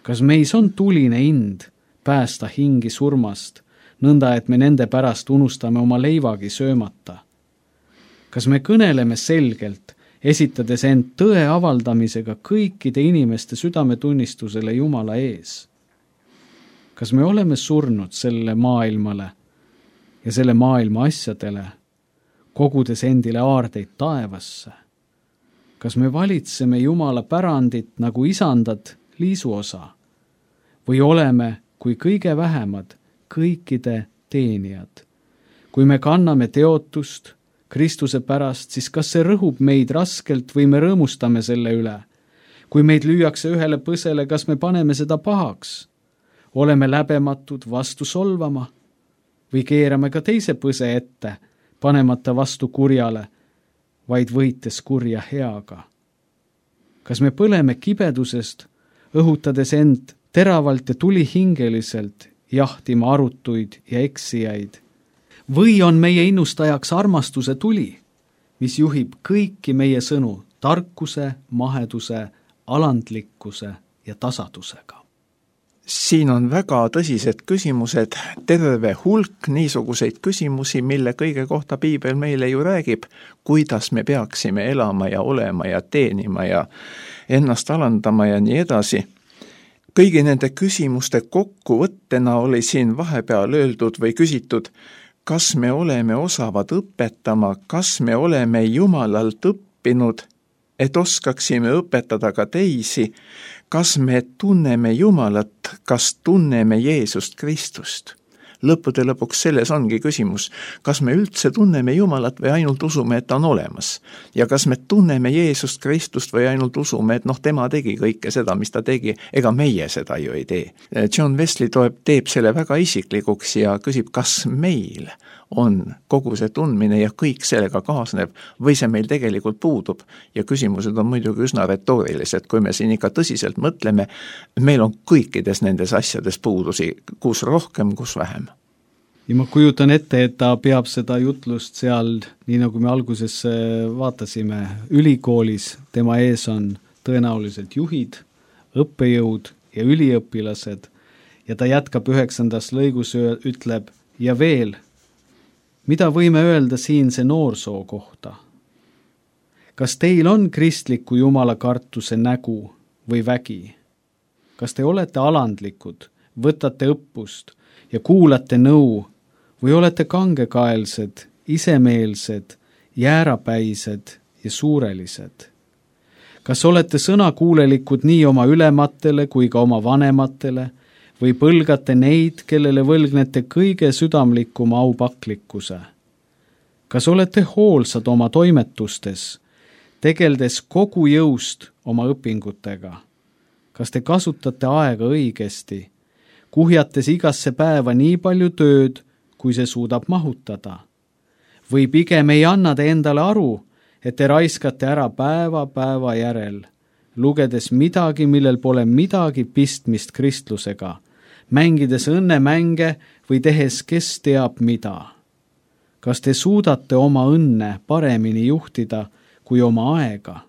Kas meis on tuline ind päästa hingi surmast, nõnda et me nende pärast unustame oma leivagi söömata? Kas me kõneleme selgelt, esitades end tõe avaldamisega kõikide inimeste südametunnistusele Jumala ees? Kas me oleme surnud selle maailmale ja selle maailma asjadele, kogudes endile aardeid taevasse? Kas me valitseme Jumala pärandit nagu isandad liisuosa või oleme kui kõige vähemad kõikide teenijad? Kui me kanname teotust Kristuse pärast, siis kas see rõhub meid raskelt või me rõõmustame selle üle? Kui meid lüüakse ühele põsele, kas me paneme seda pahaks? Oleme läbematud vastu solvama või keerame ka teise põse ette, panemata vastu kurjale, vaid võites kurja heaga? Kas me põleme kibedusest, õhutades end teravalt ja tulihingeliselt jahtima arutuid ja eksijaid? Või on meie innustajaks armastuse tuli, mis juhib kõiki meie sõnu tarkuse, maheduse, alandlikkuse ja tasadusega? Siin on väga tõsised küsimused, terve hulk niisuguseid küsimusi, mille kõige kohta Piibel meile ju räägib, kuidas me peaksime elama ja olema ja teenima ja ennast alandama ja nii edasi. Kõigi nende küsimuste kokkuvõttena oli siin vahepeal öeldud või küsitud, kas me oleme osavad õpetama, kas me oleme Jumalalt õppinud, et oskaksime õpetada ka teisi, kas me tunneme Jumalat, kas tunneme Jeesust Kristust. Lõppude lõpuks selles ongi küsimus, kas me üldse tunneme Jumalat või ainult usume, et ta on olemas. Ja kas me tunneme Jeesust Kristust või ainult usume, et noh, tema tegi kõike seda, mis ta tegi, ega meie seda ju ei tee. John Wesley toeb, teeb selle väga isiklikuks ja küsib, kas meil on kogu see tundmine ja kõik sellega kaasneb või see meil tegelikult puudub. Ja küsimused on muidugi üsna retoorilised, kui me siin ikka tõsiselt mõtleme, meil on kõikides nendes asjades puudusi, kus rohkem, kus vähem. Ja ma kujutan ette, et ta peab seda jutlust seal, nii nagu me alguses vaatasime, ülikoolis, tema ees on tõenäoliselt juhid, õppejõud ja üliõpilased ja ta jätkab üheksandas lõigus, ütleb ja veel, mida võime öelda siinse noorsoo kohta? Kas teil on kristliku Jumala kartuse nägu või vägi? Kas te olete alandlikud, võtate õppust ja kuulate nõu või olete kangekaelsed, isemeelsed, jäärapäised ja suurelised? Kas olete sõnakuulelikud nii oma ülematele kui ka oma vanematele või põlgate neid, kellele võlgnete kõige südamlikuma aupaklikkuse? Kas olete hoolsad oma toimetustes, tegeldes kogu jõust oma õpingutega? Kas te kasutate aega õigesti, kuhjates igasse päeva nii palju tööd, kui see suudab mahutada? Või pigem ei anna te endale aru, et te raiskate ära päeva päeva järel, lugedes midagi, millel pole midagi pistmist kristlusega, mängides õnnemänge või tehes kes teab mida? Kas te suudate oma õnne paremini juhtida kui oma aega?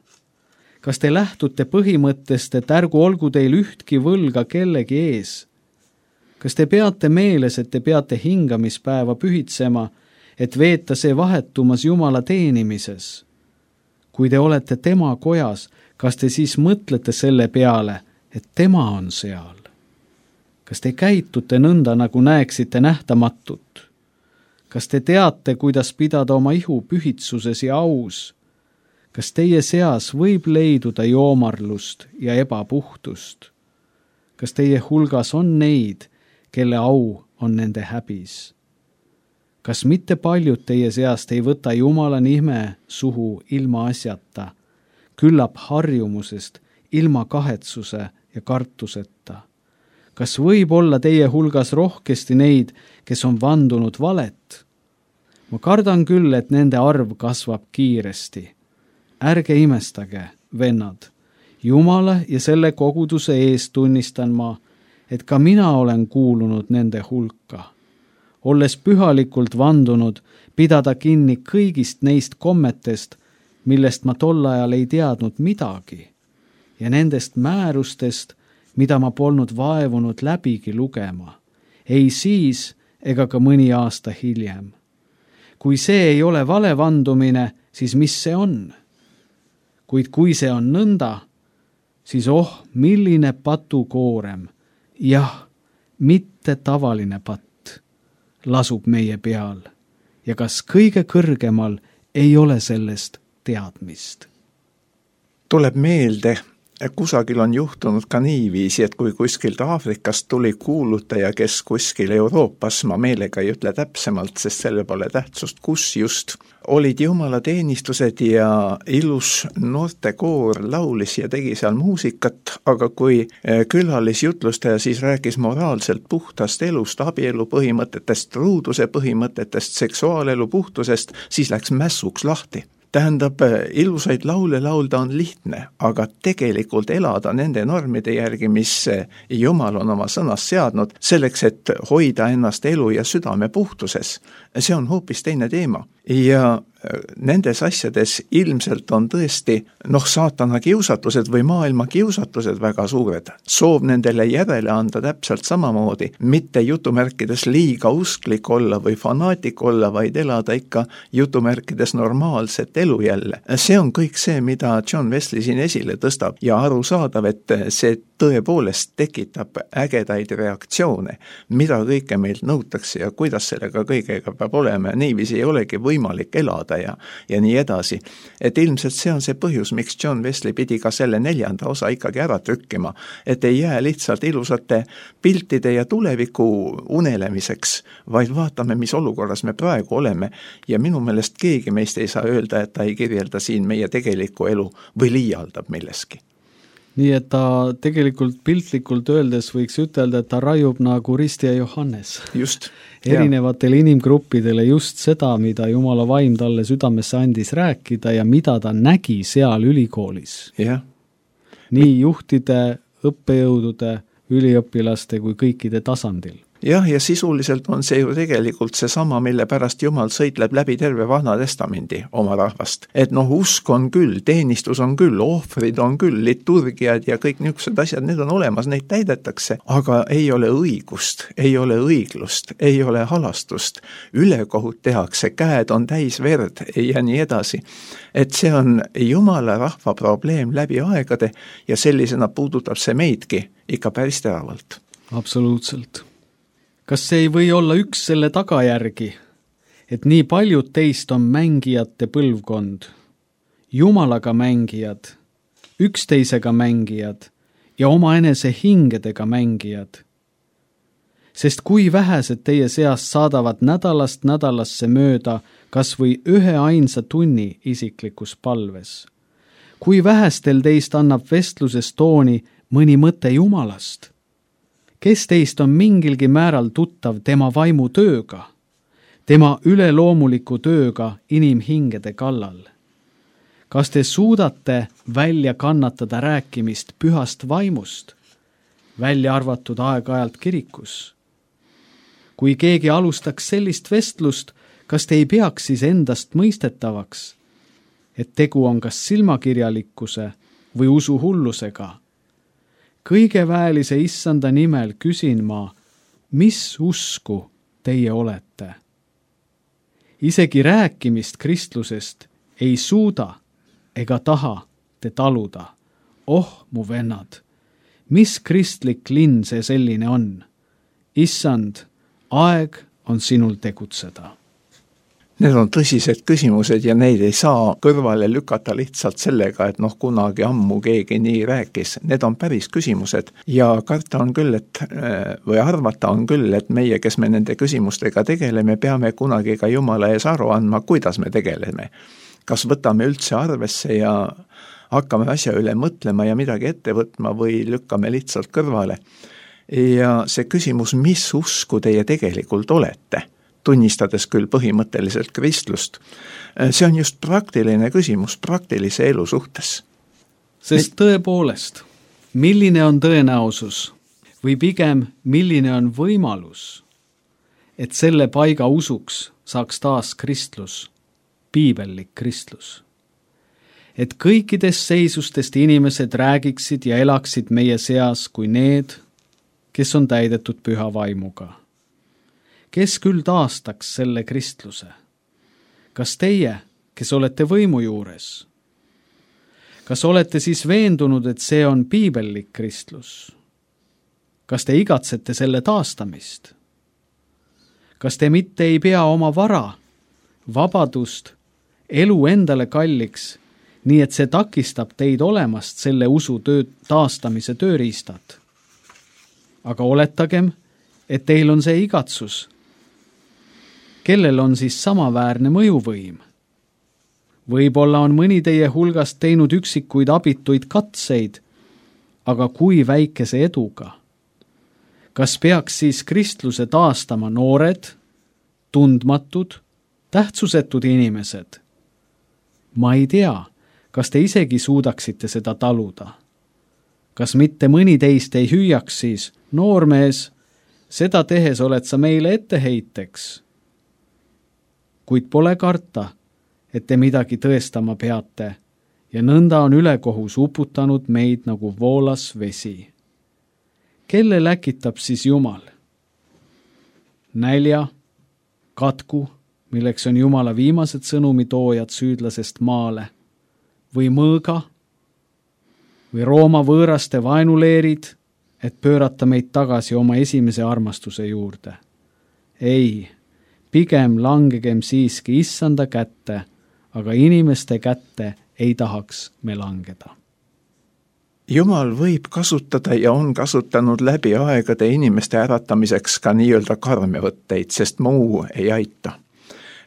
Kas te lähtute põhimõttest, et ärgu olgu teil ühtki võlga kellegi ees? Kas te peate meeles, et te peate hingamispäeva pühitsema, et veeta see vahetumas Jumala teenimises? Kui te olete tema kojas, kas te siis mõtlete selle peale, et tema on seal? Kas te käitute nõnda, nagu näeksite nähtamatut? Kas te teate, kuidas pidada oma ihu pühitsuses ja aus? Kas teie seas võib leiduda joomarlust ja ebapuhtust? Kas teie hulgas on neid, kelle au on nende häbis? Kas mitte paljud teie seast ei võta Jumala nime suhu ilma asjata, küllap harjumusest, ilma kahetsuse ja kartuseta? Kas võib olla teie hulgas rohkesti neid, kes on vandunud valet? Ma kardan küll, et nende arv kasvab kiiresti. Ärge imestage, vennad. Jumala ja selle koguduse ees tunnistan ma, et ka mina olen kuulunud nende hulka, olles pühalikult vandunud pidada kinni kõigist neist kommetest, millest ma tol ajal ei teadnud midagi, ja nendest määrustest, mida ma polnud vaevunud läbigi lugema, ei siis ega ka mõni aasta hiljem. Kui see ei ole vale vandumine, siis mis see on? Kuid kui see on nõnda, siis oh, milline patukoorem, jah, mitte tavaline patt, lasub meie peal ja kas kõige kõrgemal ei ole sellest teadmist. Tuleb meelde, kusagil on juhtunud ka niiviisi, et kui kuskilt Aafrikast tuli kuulutaja, kes kuskil Euroopas, ma meelega ei ütle täpsemalt, sest selle pole tähtsust, kus just, olid jumalateenistused ja ilus noortekoor laulis ja tegi seal muusikat, aga kui külalisjutlustaja siis rääkis moraalselt puhtast elust, abielu põhimõtetest, ruuduse põhimõtetest, seksuaalelu puhtusest, siis läks mässuks lahti. Tähendab, ilusaid laule laulda on lihtne, aga tegelikult elada nende normide järgi, mis Jumal on oma sõnas seadnud, selleks, et hoida ennast elu ja südame puhtuses. See on hoopis teine teema. Ja nendes asjades ilmselt on tõesti, noh, saatana kiusatused või maailma kiusatused väga suured. Soov nendele järele anda täpselt samamoodi, mitte jutumärkides liiga usklik olla või fanaatik olla, vaid elada ikka jutumärkides normaalset elu jälle. See on kõik see, mida John Wesley siin esile tõstab ja aru saadav, et see tõepoolest tekitab ägedaid reaktsioone, mida kõike meilt nõutakse ja kuidas sellega kõigega peab olema ja niiviisi ei olegi võimalik elada ja, ja nii edasi. Et ilmselt see on see põhjus, miks John Wesley pidi ka selle neljanda osa ikkagi ära trükkima, et ei jää lihtsalt ilusate piltide ja tuleviku unelemiseks, vaid vaatame, mis olukorras me praegu oleme ja minu meelest keegi meist ei saa öelda, et ta ei kirjelda siin meie tegelikku elu või liialdab milleski. Nii et ta tegelikult piltlikult öeldes võiks ütelda, et ta raiub nagu Risti ja Johannes. Just. Erinevatele inimgruppidele just seda, mida Jumala vaim talle südamesse andis rääkida ja mida ta nägi seal ülikoolis. Ja. Nii juhtide, õppejõudude, üliõpilaste kui kõikide tasandil. Jah, ja sisuliselt on see ju tegelikult see sama, mille pärast Jumal sõitleb läbi terve Vana Testamendi oma rahvast. Et noh, usk on küll, teenistus on küll, ohvrid on küll, liturgiad ja kõik niisugused asjad, need on olemas, neid täidetakse, aga ei ole õigust, ei ole õiglust, ei ole halastust, ülekohut tehakse, käed on täis verd ja nii edasi. Et see on Jumala rahva probleem läbi aegade ja sellisena puudutab see meidki ikka päris teravalt. Absoluutselt. Kas see ei või olla üks selle tagajärgi, et nii paljud teist on mängijate põlvkond, Jumalaga mängijad, üksteisega mängijad ja omaenese hingedega mängijad? Sest kui vähesed teie seast saadavad nädalast nädalasse mööda kas või ühe ainsa tunni isiklikus palves? Kui vähestel teist annab vestluses tooni mõni mõte Jumalast? Kes teist on mingilgi määral tuttav tema vaimu tööga, tema üleloomuliku tööga inimhingede kallal? Kas te suudate välja kannatada rääkimist pühast vaimust, välja arvatud aeg-ajalt kirikus? Kui keegi alustaks sellist vestlust, kas te ei peaks siis endast mõistetavaks, et tegu on kas silmakirjalikkuse või usuhullusega? Kõige väelise issanda nimel küsin ma, mis usku teie olete? Isegi rääkimist kristlusest ei suuda ega taha te taluda. Oh, mu vennad, mis kristlik linn see selline on? Issand, aeg on sinul tegutseda. Need on tõsised küsimused ja neid ei saa kõrvale lükata lihtsalt sellega, et noh, kunagi ammu keegi nii rääkis. Need on päris küsimused ja karta on küll, et, või arvata on küll, et meie, kes me nende küsimustega tegeleme, peame kunagi ka Jumala ees aru andma, kuidas me tegeleme. Kas võtame üldse arvesse ja hakkame asja üle mõtlema ja midagi ette võtma või lükkame lihtsalt kõrvale. Ja see küsimus, mis usku teie tegelikult olete? Tunnistades küll põhimõtteliselt kristlust. See on just praktiline küsimus praktilise elu suhtes. Sest tõepoolest, milline on tõenäosus või pigem milline on võimalus, et selle paiga usuks saaks taas kristlus, piibellik kristlus. Et kõikidest seisustest inimesed räägiksid ja elaksid meie seas kui need, kes on täidetud püha vaimuga. Kes küll taastaks selle kristluse? Kas teie, kes olete võimu juures? Kas olete siis veendunud, et see on piibellik kristlus? Kas te igatsete selle taastamist? Kas te mitte ei pea oma vara, vabadust, elu endale kalliks, nii et see takistab teid olemast selle usu töö taastamise tööriistad? Aga oletagem, et teil on see igatsus. Kellel on siis samaväärne mõjuvõim? Võib-olla on mõni teie hulgast teinud üksikuid abituid katseid, aga kui väikese eduga? Kas peaks siis kristluse taastama noored, tundmatud, tähtsusetud inimesed? Ma ei tea, kas te isegi suudaksite seda taluda. Kas mitte mõni teist ei hüüaks siis, noormees, seda tehes oled sa meile etteheiteks? Kuid pole karta, et te midagi tõestama peate ja nõnda on ülekohus uputanud meid nagu voolas vesi. Kelle läkitab siis Jumal? Nälja, katku, milleks on Jumala viimased sõnumitoojad süüdlasest maale, või mõõga, või Rooma võõraste vaenuleerid, et pöörata meid tagasi oma esimese armastuse juurde. Ei, pigem langegem siiski issanda kätte, aga inimeste kätte ei tahaks me langeda. Jumal võib kasutada ja on kasutanud läbi aegade inimeste äratamiseks ka nii-öelda karmevõtteid, sest muu ei aita.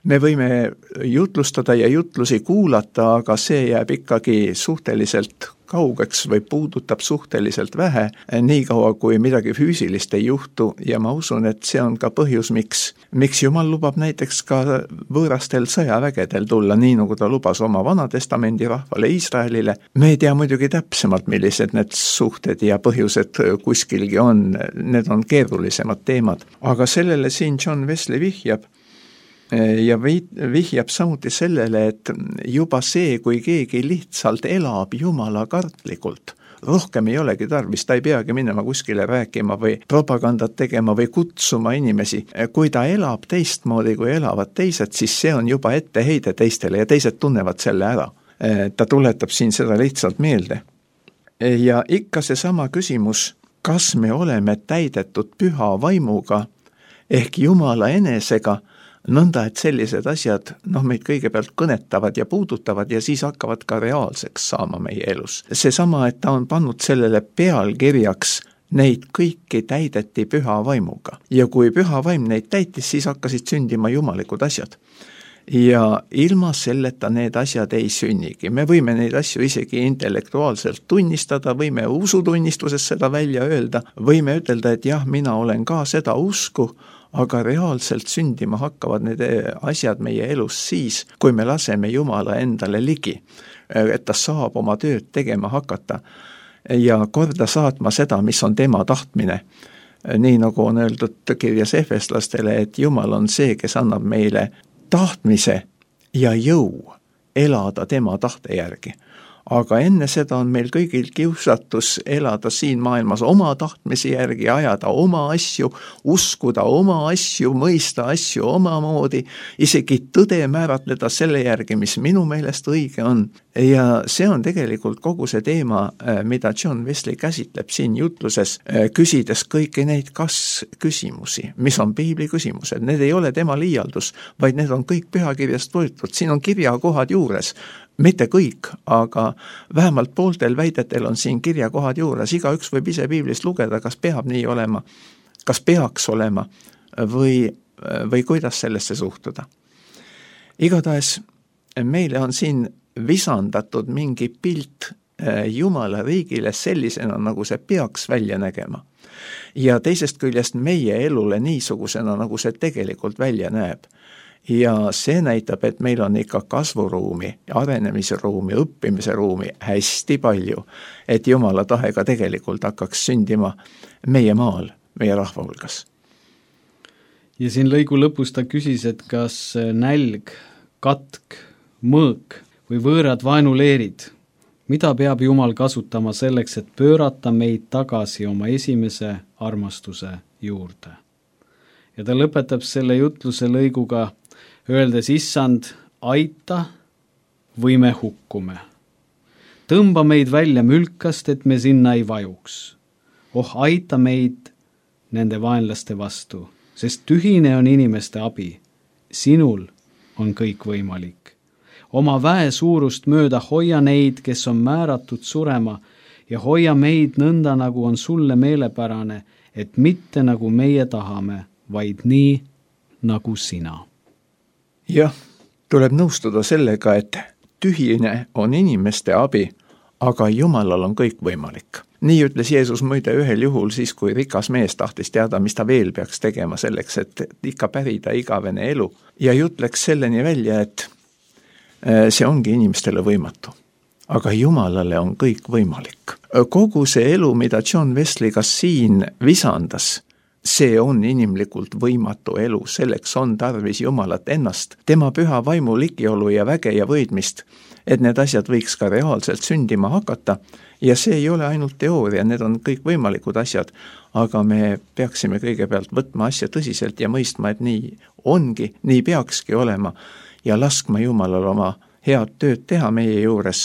Me võime jutlustada ja jutlusi kuulata, aga see jääb ikkagi suhteliselt kaugeks või puudutab suhteliselt vähe, nii kaua kui midagi füüsilist ei juhtu ja ma usun, et see on ka põhjus, miks, miks Jumal lubab näiteks ka võõrastel sõjavägedel tulla, nii nagu ta lubas oma Vanatestamendi rahvale Iisraelile. Me ei tea muidugi täpsemalt, millised need suhted ja põhjused kuskilgi on, need on keerulisemad teemad, aga sellele siin John Wesley vihjab, ja vihjab samuti sellele, et juba see, kui keegi lihtsalt elab Jumala kartlikult, rohkem ei olegi tarvis, ta ei peagi minema kuskile rääkima või propagandat tegema või kutsuma inimesi. Kui ta elab teistmoodi, kui elavad teised, siis see on juba etteheide teistele ja teised tunnevad selle ära. Ta tuletab siin seda lihtsalt meelde. Ja ikka seesama küsimus, kas me oleme täidetud püha vaimuga ehk Jumala enesega, nõnda, et sellised asjad noh, meid kõigepealt kõnetavad ja puudutavad ja siis hakkavad ka reaalseks saama meie elus. Seesama, et ta on pannud sellele pealkirjaks, neid kõiki täideti püha vaimuga. Ja kui püha vaim neid täitis, siis hakkasid sündima jumalikud asjad. Ja ilma selleta need asjad ei sünnigi. Me võime neid asju isegi intellektuaalselt tunnistada, võime usutunnistuses seda välja öelda, võime ütelda, et jah, mina olen ka seda usku, aga reaalselt sündima hakkavad need asjad meie elus siis, kui me laseme Jumala endale ligi, et ta saab oma tööd tegema hakata ja korda saatma seda, mis on tema tahtmine. Nii nagu on öeldud kirjas efeslastele, et Jumal on see, kes annab meile tahtmise ja jõu elada tema tahte järgi. Aga enne seda on meil kõigil kiusatus elada siin maailmas oma tahtmise järgi, ajada oma asju, uskuda oma asju, mõista asju omamoodi, isegi tõde määratleda selle järgi, mis minu meelest õige on. Ja see on tegelikult kogu see teema, mida John Wesley käsitleb siin jutluses, küsides kõiki neid kas-küsimusi, mis on piibli küsimused. Need ei ole tema liialdus, vaid need on kõik pühakirjast võetud. Siin on kirjakohad juures. Mitte kõik, aga vähemalt pooltel väidetel on siin kirjakohad juures. Iga üks võib ise piiblist lugeda, kas peab nii olema, kas peaks olema või, või kuidas sellesse suhtuda. Igatahes meile on siin visandatud mingi pilt Jumala riigile sellisena, nagu see peaks välja nägema. Ja teisest küljest meie elule niisugusena, nagu see tegelikult välja näeb. ja see näitab, et meil on ikka kasvuruumi, arenemise ruumi, õppimise ruumi hästi palju, et Jumala tahe ka tegelikult hakkaks sündima meie maal, meie rahva hulgas. Ja siin lõigu lõpus ta küsis, et kas nälg, katk, mõõk või võõrad vaenuleerid, mida peab Jumal kasutama selleks, et pöörata meid tagasi oma esimese armastuse juurde. Ja ta lõpetab selle jutluse lõiguga, öeldes, issand, aita või me hukkume. Tõmba meid välja mülkast, et me sinna ei vajuks. Oh, aita meid nende vaenlaste vastu, sest tühine on inimeste abi. Sinul on kõik võimalik. Oma väe suurust mööda hoia neid, kes on määratud surema, ja hoia meid nõnda, nagu on sulle meelepärane, et mitte nagu meie tahame, vaid nii, nagu sina. Jah, tuleb nõustuda sellega, et tühine on inimeste abi, aga Jumalal on kõik võimalik. Nii ütles Jeesus muide ühel juhul siis, kui rikas mees tahtis teada, mis ta veel peaks tegema selleks, et ikka pärida igavene elu. Ja jutt läks selleni välja, et see ongi inimestele võimatu. Aga Jumalale on kõik võimalik. Kogu see elu, mida John Wesley ka siin visandas, see on inimlikult võimatu elu, selleks on tarvis Jumalat ennast, tema püha vaimu ligiolu ja väge ja võidmist, et need asjad võiks ka reaalselt sündima hakata, ja see ei ole ainult teooria, need on kõik võimalikud asjad, aga me peaksime kõigepealt võtma asja tõsiselt ja mõistma, et nii ongi, nii peakski olema, ja laskma Jumalal oma head tööd teha meie juures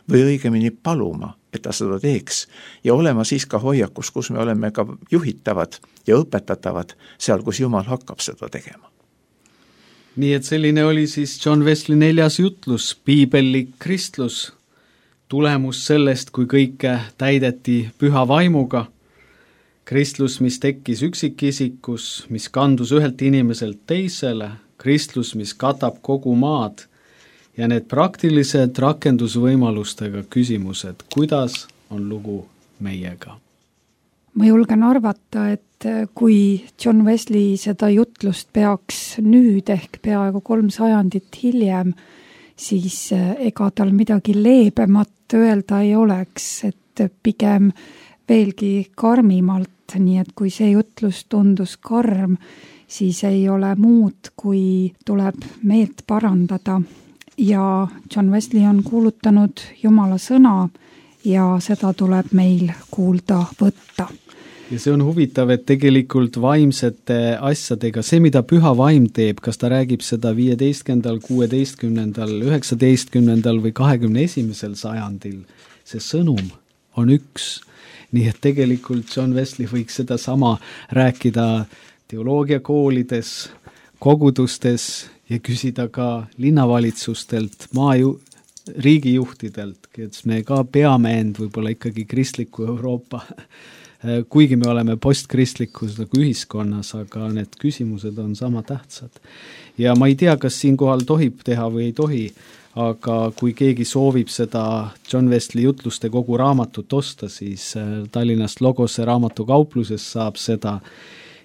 või õigemini paluma, et ta seda teeks ja olema siis ka hoiakus, kus me oleme ka juhitavad ja õpetatavad seal, kus Jumal hakkab seda tegema. Nii et selline oli siis John Wesley neljas jutlus, piibellik kristlus, tulemus sellest, kui kõike täideti püha vaimuga, kristlus, mis tekkis üksikisikus, mis kandus ühelt inimeselt teisele, kristlus, mis katab kogu maad ja need praktilised rakendusvõimalustega küsimused, kuidas on lugu meiega. Ma julgen arvata, et kui John Wesley seda jutlust peaks nüüd ehk peaaegu kolm sajandit hiljem, siis ega tal midagi leebemat öelda ei oleks, et pigem veelgi karmimalt, nii et kui see jutlus tundus karm, siis ei ole muud, kui tuleb meelt parandada. Ja John Wesley on kuulutanud Jumala sõna ja seda tuleb meil kuulda võtta. Ja see on huvitav, et tegelikult vaimsete asjadega, see mida püha vaim teeb, kas ta räägib seda viieteistkümnendal, kuueteistkümnendal, üheksateistkümnendal või kahekümne esimesel sajandil, see sõnum on üks. Nii et tegelikult John Wesley võiks seda sama rääkida teoloogiakoolides, kogudustes ja küsida ka linnavalitsustelt, maaju, riigijuhtidelt, kes me ka peame end võib-olla ikkagi kristliku Euroopa, kuigi me oleme postkristlikus nagu ühiskonnas, aga need küsimused on sama tähtsad. Ja ma ei tea, kas siinkohal tohib teha või ei tohi, aga kui keegi soovib seda John Wesley jutluste kogu raamatut osta, siis Tallinnast Logose raamatukaupluses saab seda.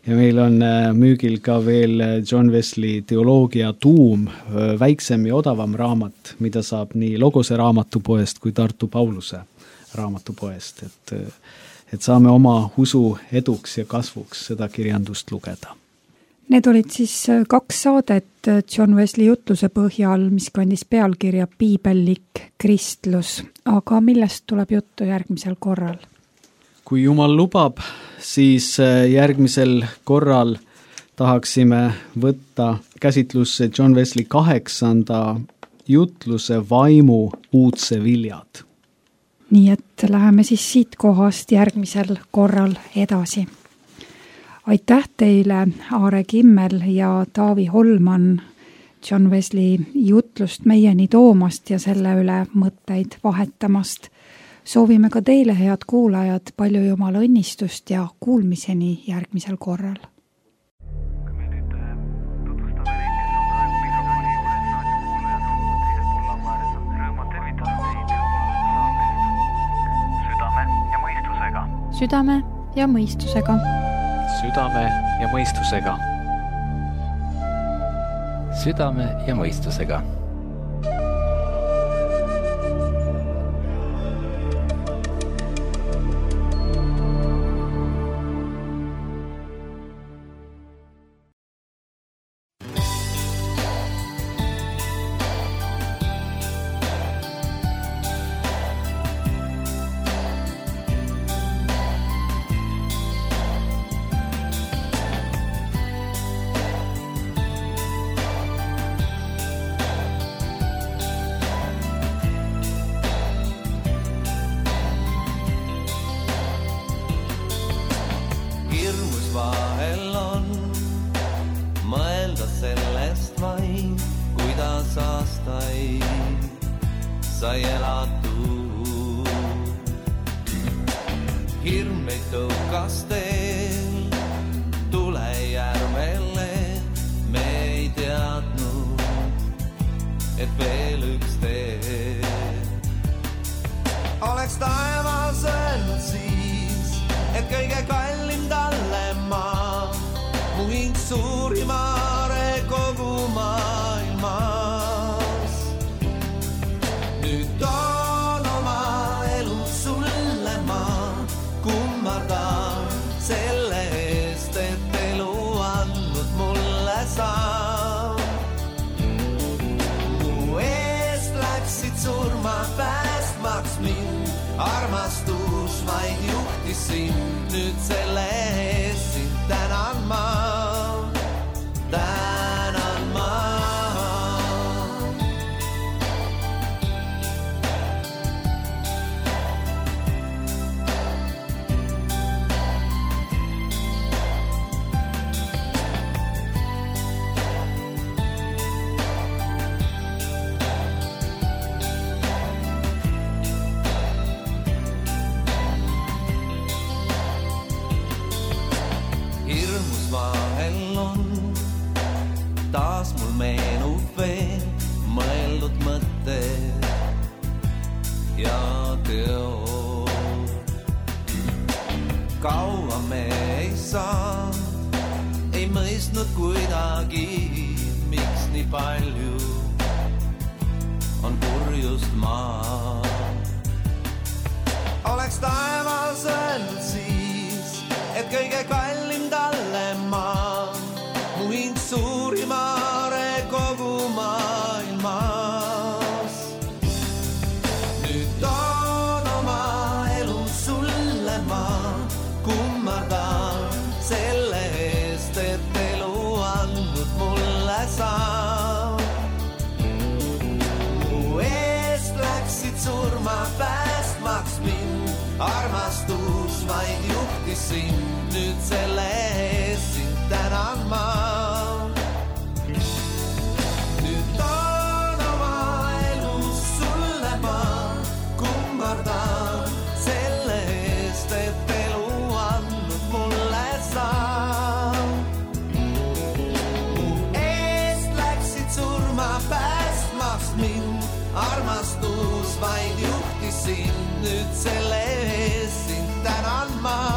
Ja meil on müügil ka veel John Wesley teoloogia tuum, väiksem ja odavam raamat, mida saab nii Logose raamatupoest kui Tartu Pauluse raamatupoest, et, et saame oma usu eduks ja kasvuks seda kirjandust lugeda. Need olid siis kaks saadet John Wesley jutluse põhjal, mis kandis pealkirja Piibellik kristlus, aga millest tuleb juttu järgmisel korral? Kui Jumal lubab, siis järgmisel korral tahaksime võtta käsitlusse John Wesley kaheksanda jutluse vaimu uudse viljad. Nii et läheme siis siit kohast järgmisel korral edasi. Aitäh teile, Aare Kimmel ja Taavi Holman, John Wesley jutlust meieni toomast ja selle üle mõtteid vahetamast. Soovime ka teile, head kuulajad, palju Jumala õnnistust ja kuulmiseni järgmisel korral. Kui me nüüd tutvustame neid, kes on praegu mikrofoni juures, raadiokuulajad on teisel pool laua ääres, on rõõmu tervitada teid saatest Südame ja mõistusega. Südame ja mõistusega. Südame ja mõistusega. südame ja mõistusega. Armastus vaid juhtis sind, nüüd selle eest sind tänan ma, tänan ma. Taas mul meenub veel mõeldud mõtted ja teod. Kaua me ei saanud, ei mõistnud kuidagi, miks nii palju on purjust maa. Oleks taevas öelnud siis, et kõige kallim talle maa, mu hing suurim aare kogu maailmas. Nüüd toon oma elu sulle ma, kummardan selle eest, et elu andnud mulle saa. Mu eest läksid surma päästmaks mind, armastus vaid juhtis sind, nüüd selle eest sind tänan ma. Nüüd toon oma elu sulle ma, kummardan selle eest, et elu andnud mulle saa. Mu eest läksid surma päästmaks mind, armastus vaid juhtis sind, nüüd selle eest sind tänan ma.